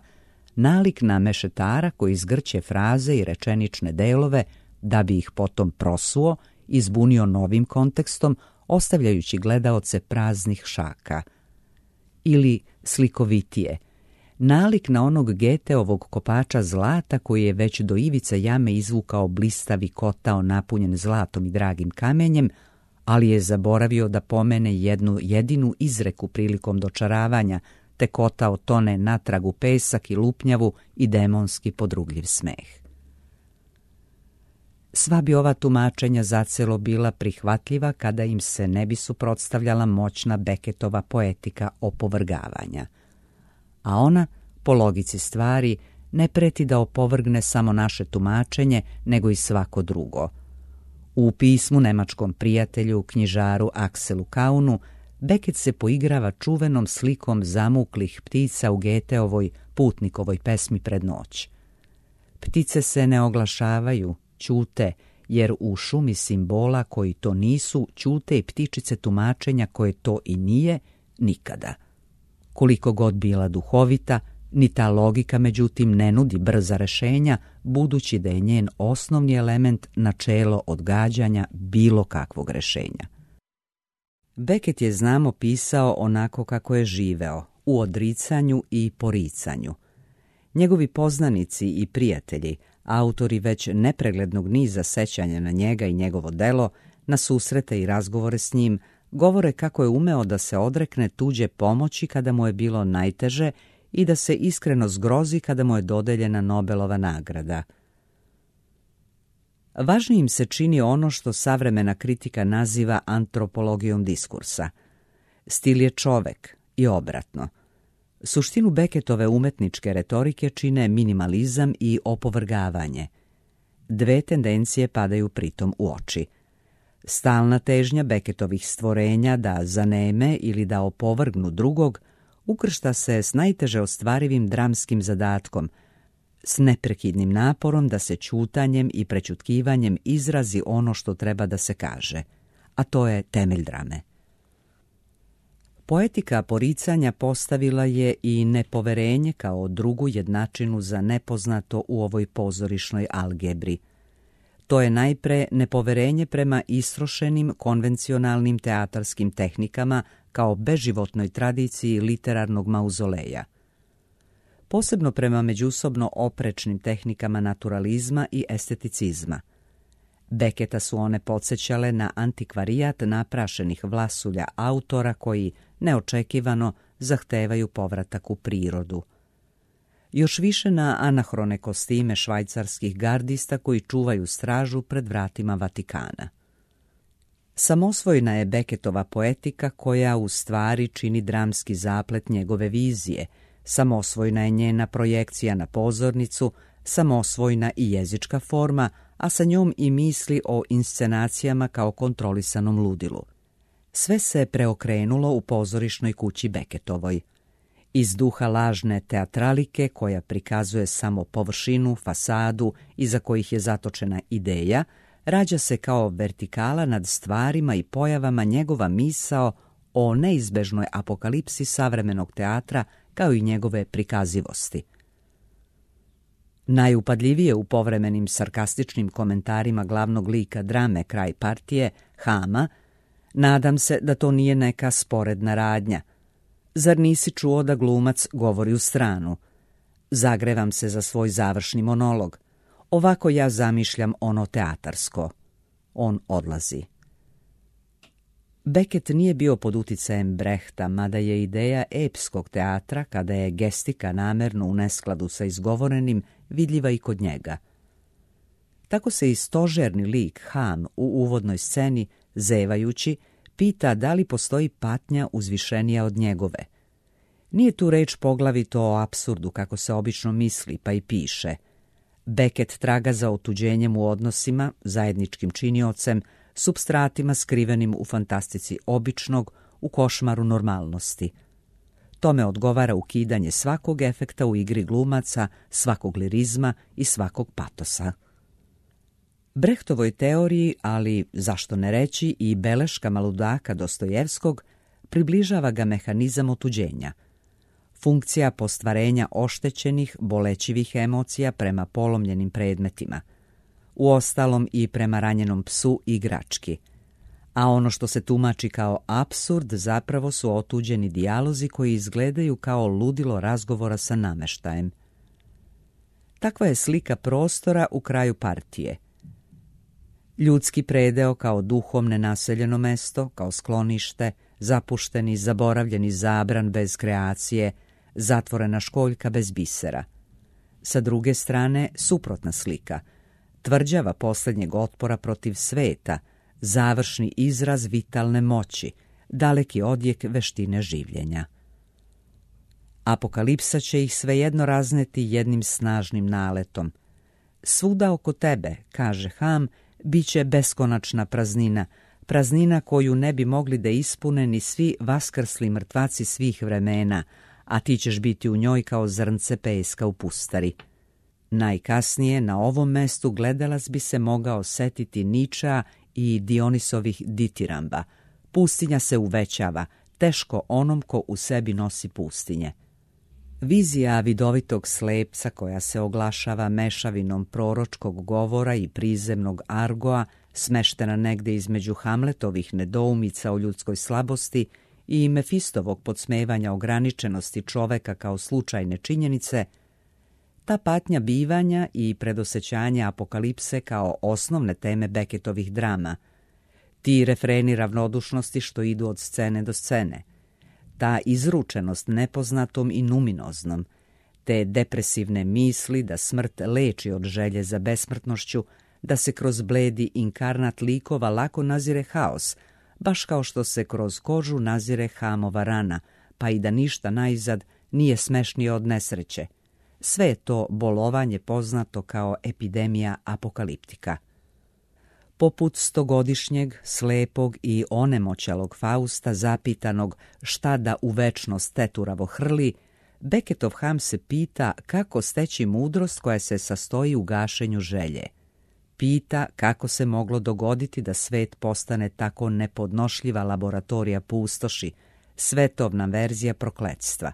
nalik na mešetara koji zgrće fraze i rečenične delove da bi ih potom prosuo i zbunio novim kontekstom, ostavljajući gledaoce praznih šaka. Ili slikovitije, nalik na onog Geteovog kopača zlata koji je već do ivice jame izvukao blistavi kotao napunjen zlatom i dragim kamenjem, ali je zaboravio da pomene jednu jedinu izreku prilikom dočaravanja, te kotao tone natrag u pesak i lupnjavu i demonski podrugljiv smeh. Sva bi ova tumačenja zacelo bila prihvatljiva kada im se ne bi suprotstavljala moćna Beckettova poetika opovrgavanja. A ona, po logici stvari, ne preti da opovrgne samo naše tumačenje, nego i svako drugo. U pismu nemačkom prijatelju, knjižaru Akselu Kaunu, Beckett se poigrava čuvenom slikom zamuklih ptica u Geteovoj putnikovoj pesmi Pred noć. Ptice se ne oglašavaju, ćute, jer u šumi simbola koji to nisu, ćute i ptičice tumačenja koje to i nije, nikada. Koliko god bila duhovita, ni ta logika međutim ne nudi brza rešenja, budući da je njen osnovni element načelo odgađanja bilo kakvog rešenja. Beckett je, znamo, pisao onako kako je živeo, u odricanju i poricanju. Njegovi poznanici i prijatelji, autori već nepreglednog niza sećanja na njega i njegovo delo, na susrete i razgovore s njim, govore kako je umeo da se odrekne tuđe pomoći kada mu je bilo najteže i da se iskreno zgrozi kada mu je dodeljena Nobelova nagrada. Važnijim se čini ono što savremena kritika naziva antropologijom diskursa. Stil je čovek i obratno. Suštinu Becketove umetničke retorike čine minimalizam i opovrgavanje. Dve tendencije padaju pritom u oči. Stalna težnja Becketovih stvorenja da zaneme ili da opovrgnu drugog ukršta se s najteže ostvarivim dramskim zadatkom, s neprekidnim naporom da se ćutanjem i prećutkivanjem izrazi ono što treba da se kaže, a to je temelj drame. Poetika poricanja postavila je i nepoverenje kao drugu jednačinu za nepoznato u ovoj pozorišnoj algebri. To je najpre nepoverenje prema istrošenim konvencionalnim teatarskim tehnikama kao beživotnoj tradiciji literarnog mauzoleja. Posebno prema međusobno oprečnim tehnikama naturalizma i esteticizma. Becketa su one podsjećale na antikvarijat naprašenih vlasulja autora koji neočekivano zahtevaju povratak u prirodu. Još više na anahrone kostime švajcarskih gardista koji čuvaju stražu pred vratima Vatikana. Samosvojna je Becketova poetika koja u stvari čini dramski zaplet njegove vizije, samosvojna je njena projekcija na pozornicu, samosvojna i jezička forma, a sa njom i misli o inscenacijama kao kontrolisanom ludilu. Sve se preokrenulo u pozorišnoj kući Becketovoj. Iz duha lažne teatralike koja prikazuje samo površinu, fasadu iza kojih je zatočena ideja, rađa se kao vertikala nad stvarima i pojavama njegova misao o neizbežnoj apokalipsi savremenog teatra kao i njegove prikazivosti. Najupadljivije u povremenim sarkastičnim komentarima glavnog lika drame Kraj partije, Hama, nadam se da to nije neka sporedna radnja. Zar nisi čuo da glumac govori u stranu? Zagrevam se za svoj završni monolog. Ovako ja zamišljam ono teatarsko. On odlazi. Beckett nije bio pod uticajem Brehta, mada je ideja epskog teatra, kada je gestika namerno u neskladu sa izgovorenim, vidljiva i kod njega. Tako se i stožerni lik Ham u uvodnoj sceni, zevajući, pita da li postoji patnja uzvišenija od njegove. Nije tu reč poglavito o apsurdu, kako se obično misli, pa i piše. Beckett traga za otuđenjem u odnosima, zajedničkim činiocem, supstratima skrivenim u fantastici običnog, u košmaru normalnosti. Tome odgovara ukidanje svakog efekta u igri glumaca, svakog lirizma i svakog patosa. Brehtovoj teoriji, ali zašto ne reći i beleškama ludaka Dostojevskog, približava ga mehanizam otuđenja. Funkcija postvarenja oštećenih, bolećivih emocija prema polomljenim predmetima. Uostalom i prema ranjenom psu i igrački. A ono što se tumači kao apsurd zapravo su otuđeni dijalozi koji izgledaju kao ludilo razgovora sa nameštajem. Takva je slika prostora u kraju partije. Ljudski predeo kao duhom nenaseljeno mesto, kao sklonište, zapušteni, zaboravljeni zabran bez kreacije, zatvorena školjka bez bisera. Sa druge strane, suprotna slika, tvrđava posljednjeg otpora protiv sveta, završni izraz vitalne moći, daleki odjek veštine življenja. Apokalipsa će ih svejedno razneti jednim snažnim naletom. Svuda oko tebe, kaže Ham, bit će beskonačna praznina, praznina koju ne bi mogli da ispune ni svi vaskrsli mrtvaci svih vremena, a ti ćeš biti u njoj kao zrnce peska u pustari. Najkasnije na ovom mestu gledalac bi se mogao setiti Ničea i Dionisovih ditiramba. Pustinja se uvećava, teško onom ko u sebi nosi pustinje. Vizija vidovitog slepca koja se oglašava mešavinom proročkog govora i prizemnog argoa, smeštena negde između Hamletovih nedoumica o ljudskoj slabosti i Mefistovog podsmevanja ograničenosti čoveka kao slučajne činjenice, ta patnja bivanja i predosećanja apokalipse kao osnovne teme Beckettovih drama, ti refreni ravnodušnosti što idu od scene do scene, ta izručenost nepoznatom i numinoznom, te depresivne misli da smrt leči od želje za besmrtnošću, da se kroz bledi inkarnat likova lako nazire haos, baš kao što se kroz kožu nazire Hamova rana, pa i da ništa naizad nije smešnije od nesreće. Sve je to bolovanje poznato kao epidemija apokaliptika. Poput stogodišnjeg, slepog i onemoćalog Fausta zapitanog šta da u večnost teturavo hrli, Beckettov Ham se pita kako steći mudrost koja se sastoji u gašenju želje. Pita kako se moglo dogoditi da svet postane tako nepodnošljiva laboratorija pustoši, svetovna verzija prokletstva.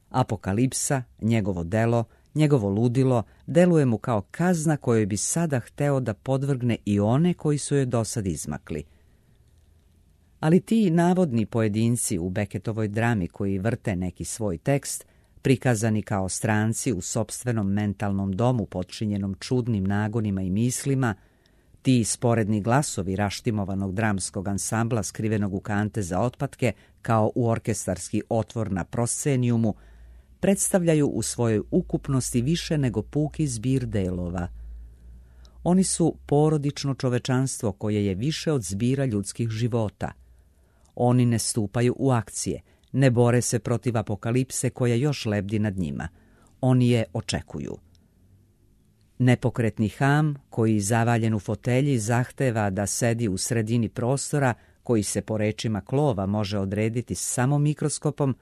Apokalipsa, njegovo delo, njegovo ludilo, deluje mu kao kazna kojoj bi sada hteo da podvrgne i one koji su joj dosad izmakli. Ali ti navodni pojedinci u Beckettovoj drami koji vrte neki svoj tekst, prikazani kao stranci u sopstvenom mentalnom domu potčinjenom čudnim nagonima i mislima, ti sporedni glasovi raštimovanog dramskog ansambla skrivenog u kante za otpatke kao u orkestarski otvor na proscenijumu, predstavljaju u svojoj ukupnosti više nego puki zbir delova. Oni su porodično čovečanstvo koje je više od zbira ljudskih života. Oni ne stupaju u akcije, ne bore se protiv apokalipse koja još lebdi nad njima. Oni je očekuju. Nepokretni Ham, koji zavaljen u fotelji zahteva da sedi u sredini prostora, koji se po rečima Klova može odrediti samo mikroskopom,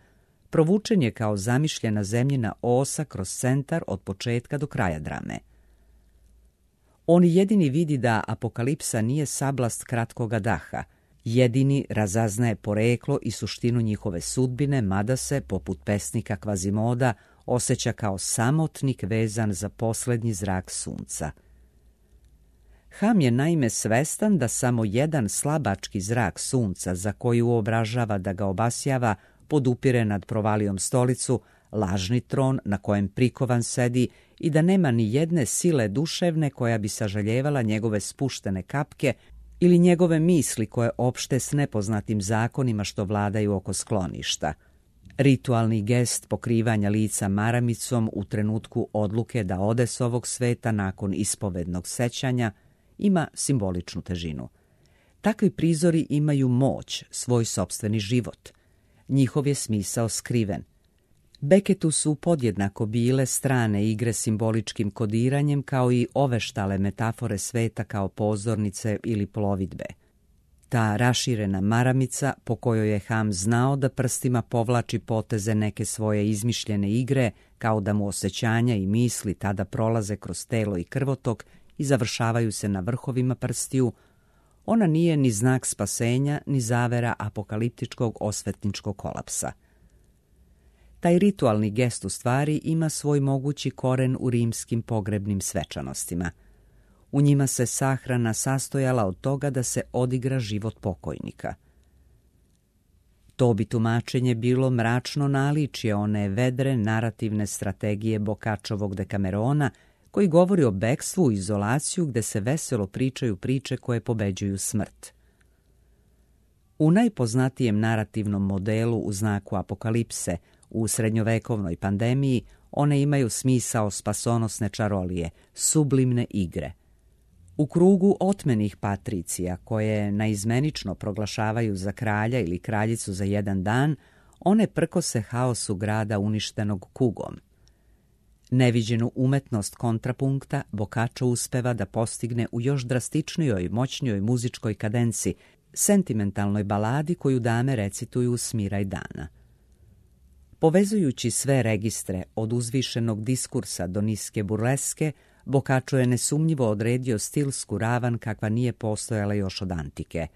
provučen je kao zamišljena zemljina osa kroz centar od početka do kraja drame. On jedini vidi da apokalipsa nije sablast kratkoga daha, jedini razaznaje poreklo i suštinu njihove sudbine, mada se, poput pesnika Kvazimoda, osjeća kao samotnik vezan za posljednji zrak sunca. Ham je naime svestan da samo jedan slabački zrak sunca, za koji uobražava da ga obasjava, podupire nad provalijom stolicu, lažni tron na kojem prikovan sedi i da nema ni jedne sile duševne koja bi sažaljevala njegove spuštene kapke ili njegove misli koje opšte s nepoznatim zakonima što vladaju oko skloništa. Ritualni gest pokrivanja lica maramicom u trenutku odluke da ode s ovog sveta nakon ispovednog sećanja ima simboličnu težinu. Takvi prizori imaju moć, svoj sopstveni život. Njihov je smisao skriven. Beckettu su podjednako bile strane igre simboličkim kodiranjem kao i oveštale metafore sveta kao pozornice ili plovidbe. Ta raširena maramica po kojoj je Ham znao da prstima povlači poteze neke svoje izmišljene igre, kao da mu osjećanja i misli tada prolaze kroz telo i krvotok i završavaju se na vrhovima prstiju, ona nije ni znak spasenja, ni zavera apokaliptičkog osvetničkog kolapsa. Taj ritualni gest u stvari ima svoj mogući koren u rimskim pogrebnim svečanostima. U njima se sahrana sastojala od toga da se odigra život pokojnika. To bi tumačenje bilo mračno naličje one vedre narativne strategije Boccaccovog Dekamerona, koji govori o bekstvu i izolaciju gde se veselo pričaju priče koje pobeđuju smrt. U najpoznatijem narativnom modelu u znaku apokalipse, u srednjovekovnoj pandemiji, one imaju smisao spasonosne čarolije, sublimne igre. U krugu otmenih patricija, koje naizmenično proglašavaju za kralja ili kraljicu za jedan dan, one prkose haosu grada uništenog kugom. Neviđenu umetnost kontrapunkta Boccaccio uspeva da postigne u još drastičnijoj, moćnijoj muzičkoj kadenci, sentimentalnoj baladi koju dame recituju Smiraj dana. Povezujući sve registre od uzvišenog diskursa do niske burleske, Boccaccio je nesumnjivo odredio stilsku ravan kakva nije postojala još od antike.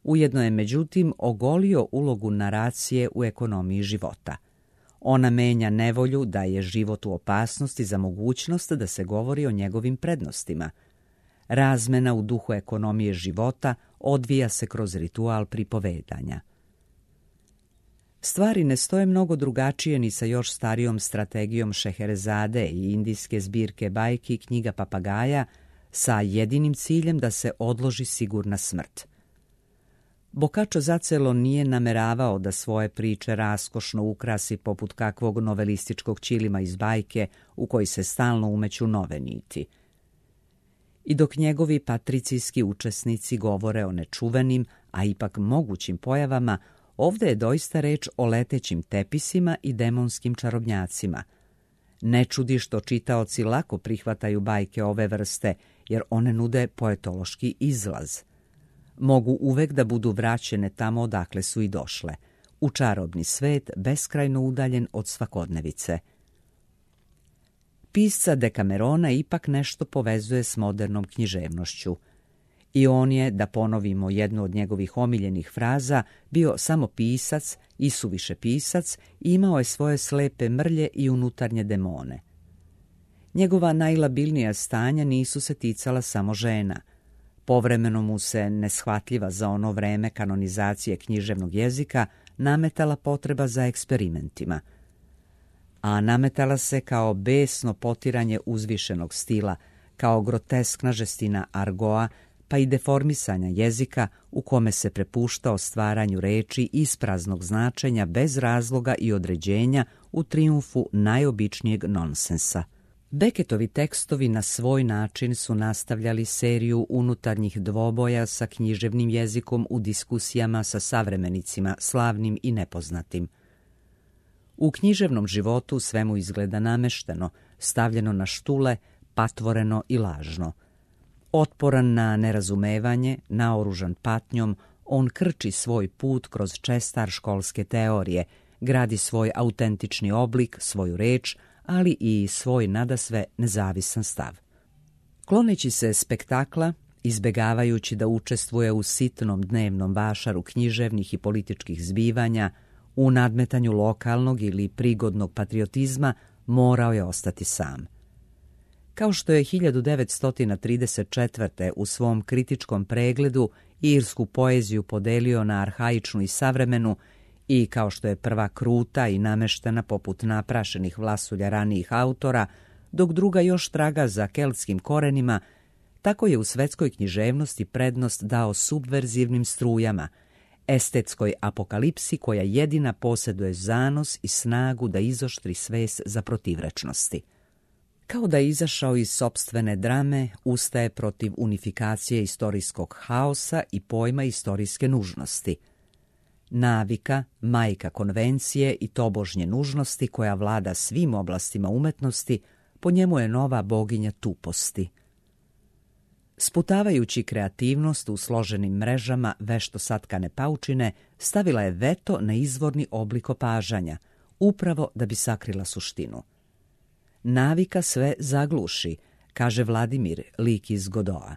Ujedno je međutim ogolio ulogu naracije u ekonomiji života. Ona menja nevolju da je život u opasnosti za mogućnost da se govori o njegovim prednostima. Razmena u duhu ekonomije života odvija se kroz ritual pripovedanja. Stvari ne stoje mnogo drugačije ni sa još starijom strategijom Šeherezade i indijske zbirke bajki Knjiga papagaja sa jedinim ciljem da se odloži sigurna smrt. Boccaccio zacelo nije nameravao da svoje priče raskošno ukrasi poput kakvog novelističkog ćilima iz bajke u koji se stalno umeću nove niti. I dok njegovi patricijski učesnici govore o nečuvenim, a ipak mogućim pojavama, ovdje je doista reč o letećim tepisima i demonskim čarobnjacima. Ne čudi što čitaoci lako prihvataju bajke ove vrste, jer one nude poetološki izlaz. Mogu uvek da budu vraćene tamo odakle su i došle, u čarobni svet beskrajno udaljen od svakodnevice. Pisca Dekamerona ipak nešto povezuje s modernom književnošću. I on je, da ponovimo jednu od njegovih omiljenih fraza, bio samo pisac, isuviše pisac i imao je svoje slepe mrlje i unutarnje demone. Njegova najlabilnija stanja nisu se ticala samo žena. Povremeno mu se, neshvatljiva za ono vreme kanonizacije književnog jezika, nametala potreba za eksperimentima. A nametala se kao besno potiranje uzvišenog stila, kao groteskna žestina argoa, pa i deformisanja jezika u kome se prepuštao stvaranju reči ispraznog značenja bez razloga i određenja u trijumfu najobičnijeg nonsensa. Beckettovi tekstovi na svoj način su nastavljali seriju unutarnjih dvoboja sa književnim jezikom u diskusijama sa savremenicima, slavnim i nepoznatim. U književnom životu sve mu izgleda namešteno, stavljeno na štule, patvoreno i lažno. Otporan na nerazumevanje, naoružan patnjom, on krči svoj put kroz čestar školske teorije, gradi svoj autentični oblik, svoju reč, ali i svoj nadasve nezavisan stav. Kloneći se spektakla, izbegavajući da učestvuje u sitnom dnevnom vašaru književnih i političkih zbivanja, u nadmetanju lokalnog ili prigodnog patriotizma, morao je ostati sam. Kao što je hiljadu devetsto trideset četvrte. u svom kritičkom pregledu irsku poeziju podelio na arhaičnu i savremenu, i kao što je prva kruta i nameštena poput naprašenih vlasulja ranijih autora, dok druga još traga za keltskim korenima, tako je u svetskoj književnosti prednost dao subverzivnim strujama, estetskoj apokalipsi koja jedina posjeduje zanos i snagu da izoštri svest za protivrečnosti. Kao da je izašao iz sopstvene drame, ustaje protiv unifikacije istorijskog haosa i pojma istorijske nužnosti. Navika, majka konvencije i tobožnje nužnosti koja vlada svim oblastima umetnosti, po njemu je nova boginja tuposti. Sputavajući kreativnost u složenim mrežama vešto satkane paučine, stavila je veto na izvorni oblik opažanja, upravo da bi sakrila suštinu. Navika sve zagluši, kaže Vladimir, lik iz Godoa.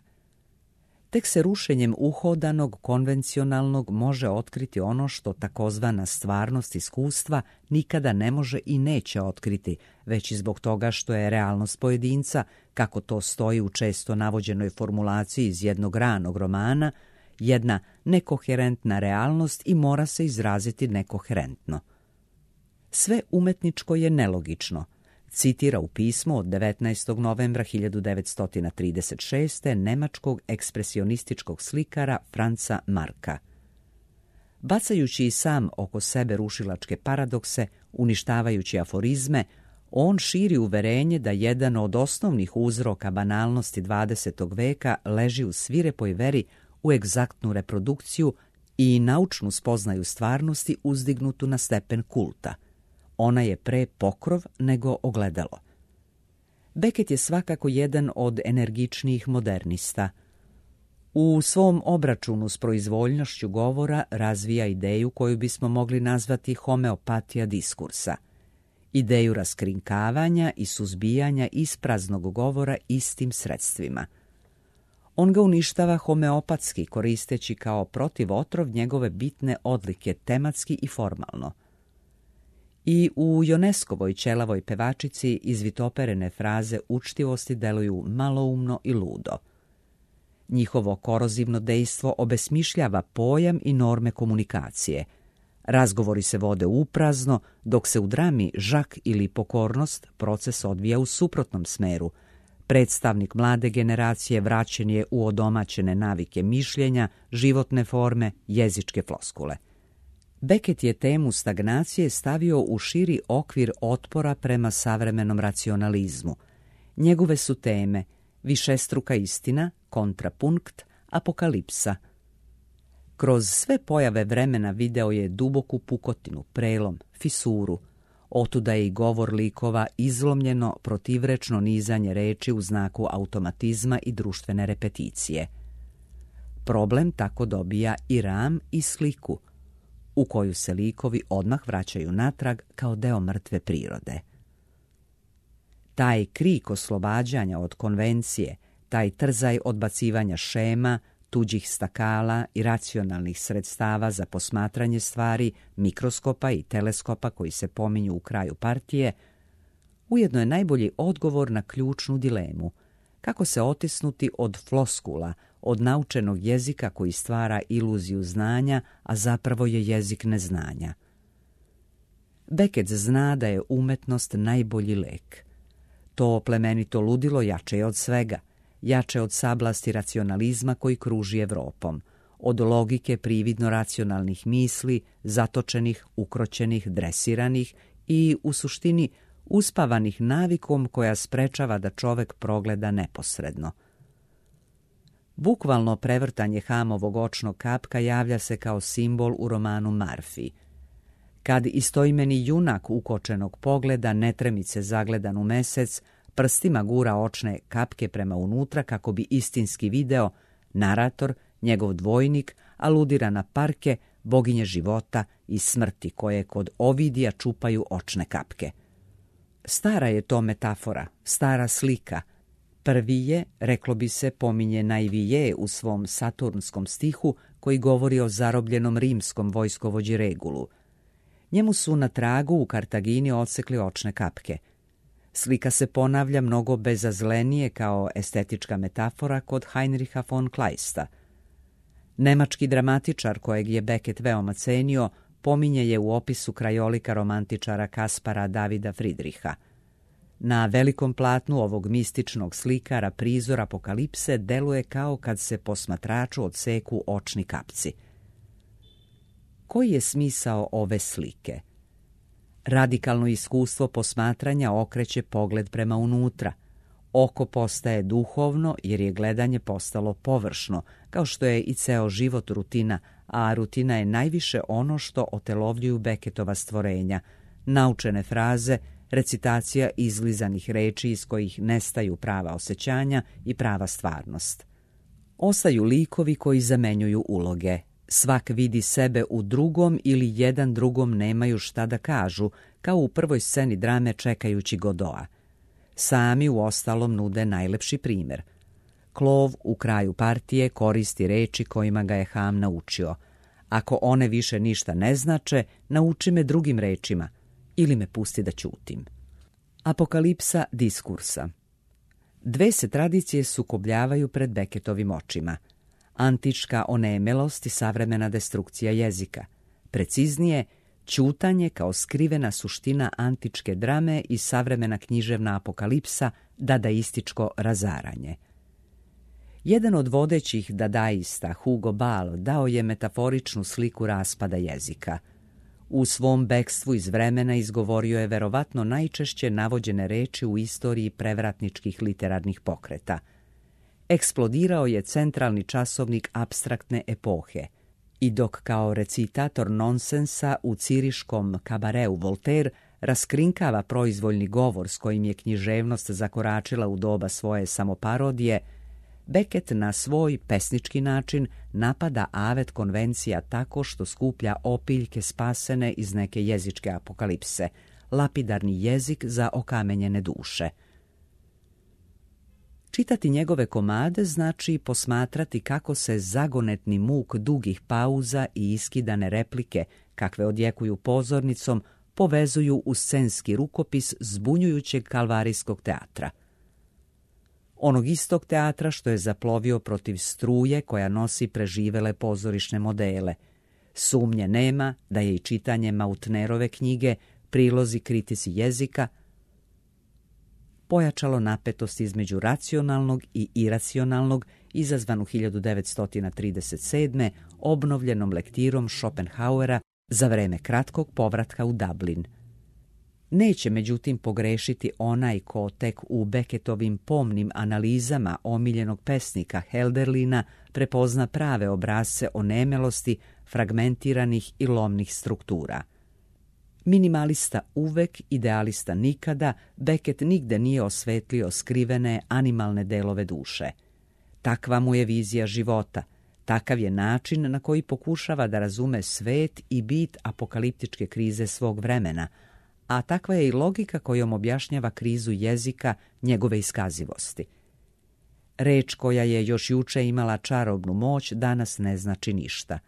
Tek se rušenjem uhodanog, konvencionalnog može otkriti ono što takozvana stvarnost iskustva nikada ne može i neće otkriti, već i zbog toga što je realnost pojedinca, kako to stoji u često navođenoj formulaciji iz jednog ranog romana, jedna nekoherentna realnost i mora se izraziti nekoherentno. Sve umetničko je nelogično, citira u pismu od devetnaestog novembra hiljadu devetsto trideset šeste. nemačkog ekspresionističkog slikara Franca Marka. Bacajući i sam oko sebe rušilačke paradokse, uništavajući aforizme, on širi uverenje da jedan od osnovnih uzroka banalnosti dvadesetog veka leži u svirepoj veri u egzaktnu reprodukciju i naučnu spoznaju stvarnosti uzdignutu na stepen kulta. Ona je pre pokrov nego ogledalo. Beckett je svakako jedan od energičnijih modernista. U svom obračunu s proizvoljnošću govora razvija ideju koju bismo mogli nazvati homeopatija diskursa. Ideju raskrinkavanja i suzbijanja ispraznog govora istim sredstvima. On ga uništava homeopatski, koristeći kao protivotrov njegove bitne odlike tematski i formalno. I u Ioneskovoj ćelavoj pevačici izvitoperene fraze učtivosti deluju maloumno i ludo. Njihovo korozivno dejstvo obesmišljava pojam i norme komunikacije. Razgovori se vode uprazno, dok se u drami Žak ili Pokornost proces odvija u suprotnom smeru. Predstavnik mlade generacije vraćen je u odomaćene navike mišljenja, životne forme, jezičke floskule. Beckett je temu stagnacije stavio u širi okvir otpora prema savremenom racionalizmu. Njegove su teme višestruka istina, kontrapunkt, apokalipsa. Kroz sve pojave vremena video je duboku pukotinu, prelom, fisuru. Otuda je i govor likova izlomljeno, protivrečno nizanje reči u znaku automatizma i društvene repeticije. Problem tako dobija i ram i sliku, u koju se likovi odmah vraćaju natrag kao deo mrtve prirode. Taj krik oslobađanja od konvencije, taj trzaj odbacivanja šema, tuđih stakala i racionalnih sredstava za posmatranje stvari, mikroskopa i teleskopa koji se pominju u kraju partije, ujedno je najbolji odgovor na ključnu dilemu: kako se otisnuti od floskula, od naučenog jezika koji stvara iluziju znanja, a zapravo je jezik neznanja. Beckett zna da je umetnost najbolji lek. To plemenito ludilo jače je od svega, jače od sablasti racionalizma koji kruži Evropom, od logike prividno racionalnih misli, zatočenih, ukroćenih, dresiranih i, u suštini, uspavanih navikom koja sprečava da čovek progleda neposredno. Bukvalno prevrtanje Hamovog očnog kapka javlja se kao simbol u romanu Marfi. Kad istoimeni junak ukočenog pogleda netremice zagledan u mesec, prstima gura očne kapke prema unutra kako bi istinski video, narator, njegov dvojnik, aludira na Parke, boginje života i smrti koje kod Ovidija čupaju očne kapke. Stara je to metafora, stara slika. Prvi je, reklo bi se, pominje Naivije u svom saturnskom stihu koji govori o zarobljenom rimskom vojskovođi Regulu. Njemu su na tragu u Kartagini odsekli očne kapke. Slika se ponavlja mnogo bezazlenije kao estetička metafora kod Heinricha von Kleista. Nemački dramatičar kojeg je Beckett veoma cenio pominje je u opisu krajolika romantičara Kaspara Davida Friedricha. Na velikom platnu ovog mističnog slikara prizor apokalipse deluje kao kad se posmatraču odseku očni kapci. Koji je smisao ove slike? Radikalno iskustvo posmatranja okreće pogled prema unutra. Oko postaje duhovno jer je gledanje postalo površno, kao što je i ceo život rutina, a rutina je najviše ono što otelovljuju Beckettova stvorenja, naučene fraze, recitacija izlizanih reči iz kojih nestaju prava osjećanja i prava stvarnost. Ostaju likovi koji zamenjuju uloge. Svak vidi sebe u drugom ili jedan drugom nemaju šta da kažu, kao u prvoj sceni drame Čekajući Godoa. Sami u ostalom nude najlepši primjer. Klov u kraju partije koristi reči kojima ga je Ham naučio. Ako one više ništa ne znače, nauči me drugim rečima ili me pusti da ćutim. Apokalipsa diskursa. Dve se tradicije sukobljavaju pred Beckettovim očima. Antička onemelost i savremena destrukcija jezika. Preciznije, ćutanje kao skrivena suština antičke drame i savremena književna apokalipsa, dadaističko razaranje. Jedan od vodećih dadaista, Hugo Ball, dao je metaforičnu sliku raspada jezika. U svom bekstvu iz vremena izgovorio je verovatno najčešće navođene reči u istoriji prevratničkih literarnih pokreta. Eksplodirao je centralni časovnik apstraktne epohe i dok kao recitator nonsensa u ciriškom kabareu Voltaire raskrinkava proizvoljni govor s kojim je književnost zakoračila u doba svoje samoparodije, Beckett na svoj pesnički način napada avet konvencija tako što skuplja opiljke spasene iz neke jezičke apokalipse, lapidarni jezik za okamenjene duše. Čitati njegove komade znači posmatrati kako se zagonetni muk dugih pauza i iskidane replike, kakve odjekuju pozornicom, povezuju u scenski rukopis zbunjujućeg kalvarijskog teatra. Onog istog teatra što je zaplovio protiv struje koja nosi preživele pozorišne modele. Sumnje nema da je i čitanje Mautnerove knjige Prilozi kritici jezika pojačalo napetost između racionalnog i iracionalnog, izazvanu hiljadu devetsto trideset sedme. obnovljenom lektirom Schopenhauera za vreme kratkog povratka u Dublin. Neće međutim pogrešiti onaj ko tek u Beckettovim pomnim analizama omiljenog pesnika Helderlina prepozna prave obrasce onemelosti fragmentiranih i lomnih struktura. Minimalista uvek, idealista nikada, Beckett nigde nije osvetlio skrivene animalne delove duše. Takva mu je vizija života, takav je način na koji pokušava da razume svet i bit apokaliptičke krize svog vremena, a takva je i logika kojom objašnjava krizu jezika, njegove iskazivosti. Reč koja je još juče imala čarobnu moć danas ne znači ništa.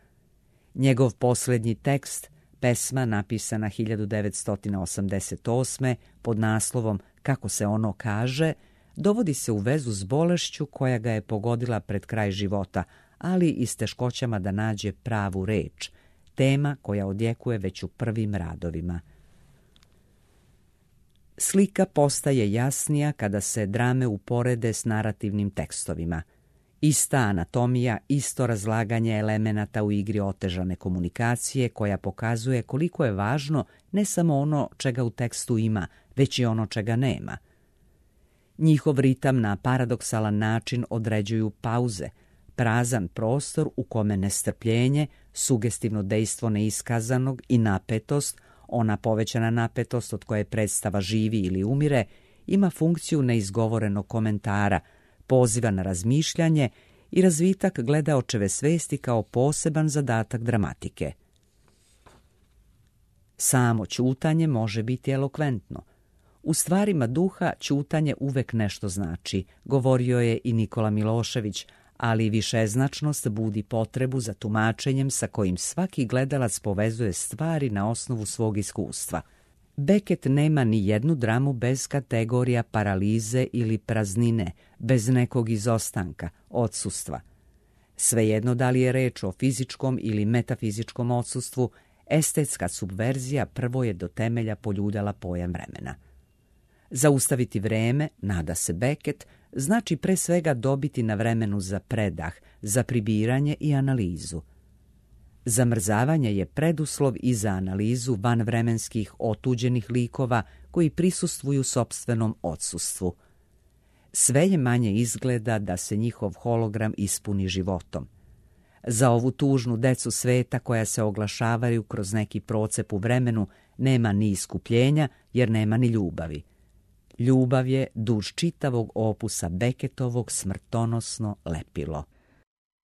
Njegov posljednji tekst, pesma napisana hiljadu devetsto osamdeset osme pod naslovom Kako se ono kaže, dovodi se u vezu s bolešću koja ga je pogodila pred kraj života, ali i s teškoćama da nađe pravu reč, tema koja odjekuje već u prvim radovima. Slika postaje jasnija kada se drame uporede s narativnim tekstovima. Ista anatomija, isto razlaganje elemenata u igri otežane komunikacije koja pokazuje koliko je važno ne samo ono čega u tekstu ima, već i ono čega nema. Njihov ritam na paradoksalan način određuju pauze, prazan prostor u kome nestrpljenje, sugestivno dejstvo neiskazanog i napetost, ona povećana napetost od koje predstava živi ili umire, ima funkciju neizgovorenog komentara, poziva na razmišljanje i razvitak gledaočeve svesti kao poseban zadatak dramatike. Samo ćutanje može biti elokventno. U stvarima duha ćutanje uvek nešto znači, govorio je i Nikola Milošević, ali višeznačnost budi potrebu za tumačenjem sa kojim svaki gledalac povezuje stvari na osnovu svog iskustva. Beckett nema ni jednu dramu bez kategorija paralize ili praznine, bez nekog izostanka, odsustva. Svejedno da li je reč o fizičkom ili metafizičkom odsustvu, estetska subverzija prvo je do temelja poljuljala pojam vremena. Zaustaviti vreme, nada se Beckett, znači pre svega dobiti na vremenu za predah, za pribiranje i analizu. Zamrzavanje je preduslov i za analizu vanvremenskih otuđenih likova koji prisustvuju sopstvenom odsustvu. Sve je manje izgleda da se njihov hologram ispuni životom. Za ovu tužnu decu sveta koja se oglašavaju kroz neki procep u vremenu nema ni iskupljenja jer nema ni ljubavi. Ljubav je duž čitavog opusa Beckettovog smrtonosno lepilo.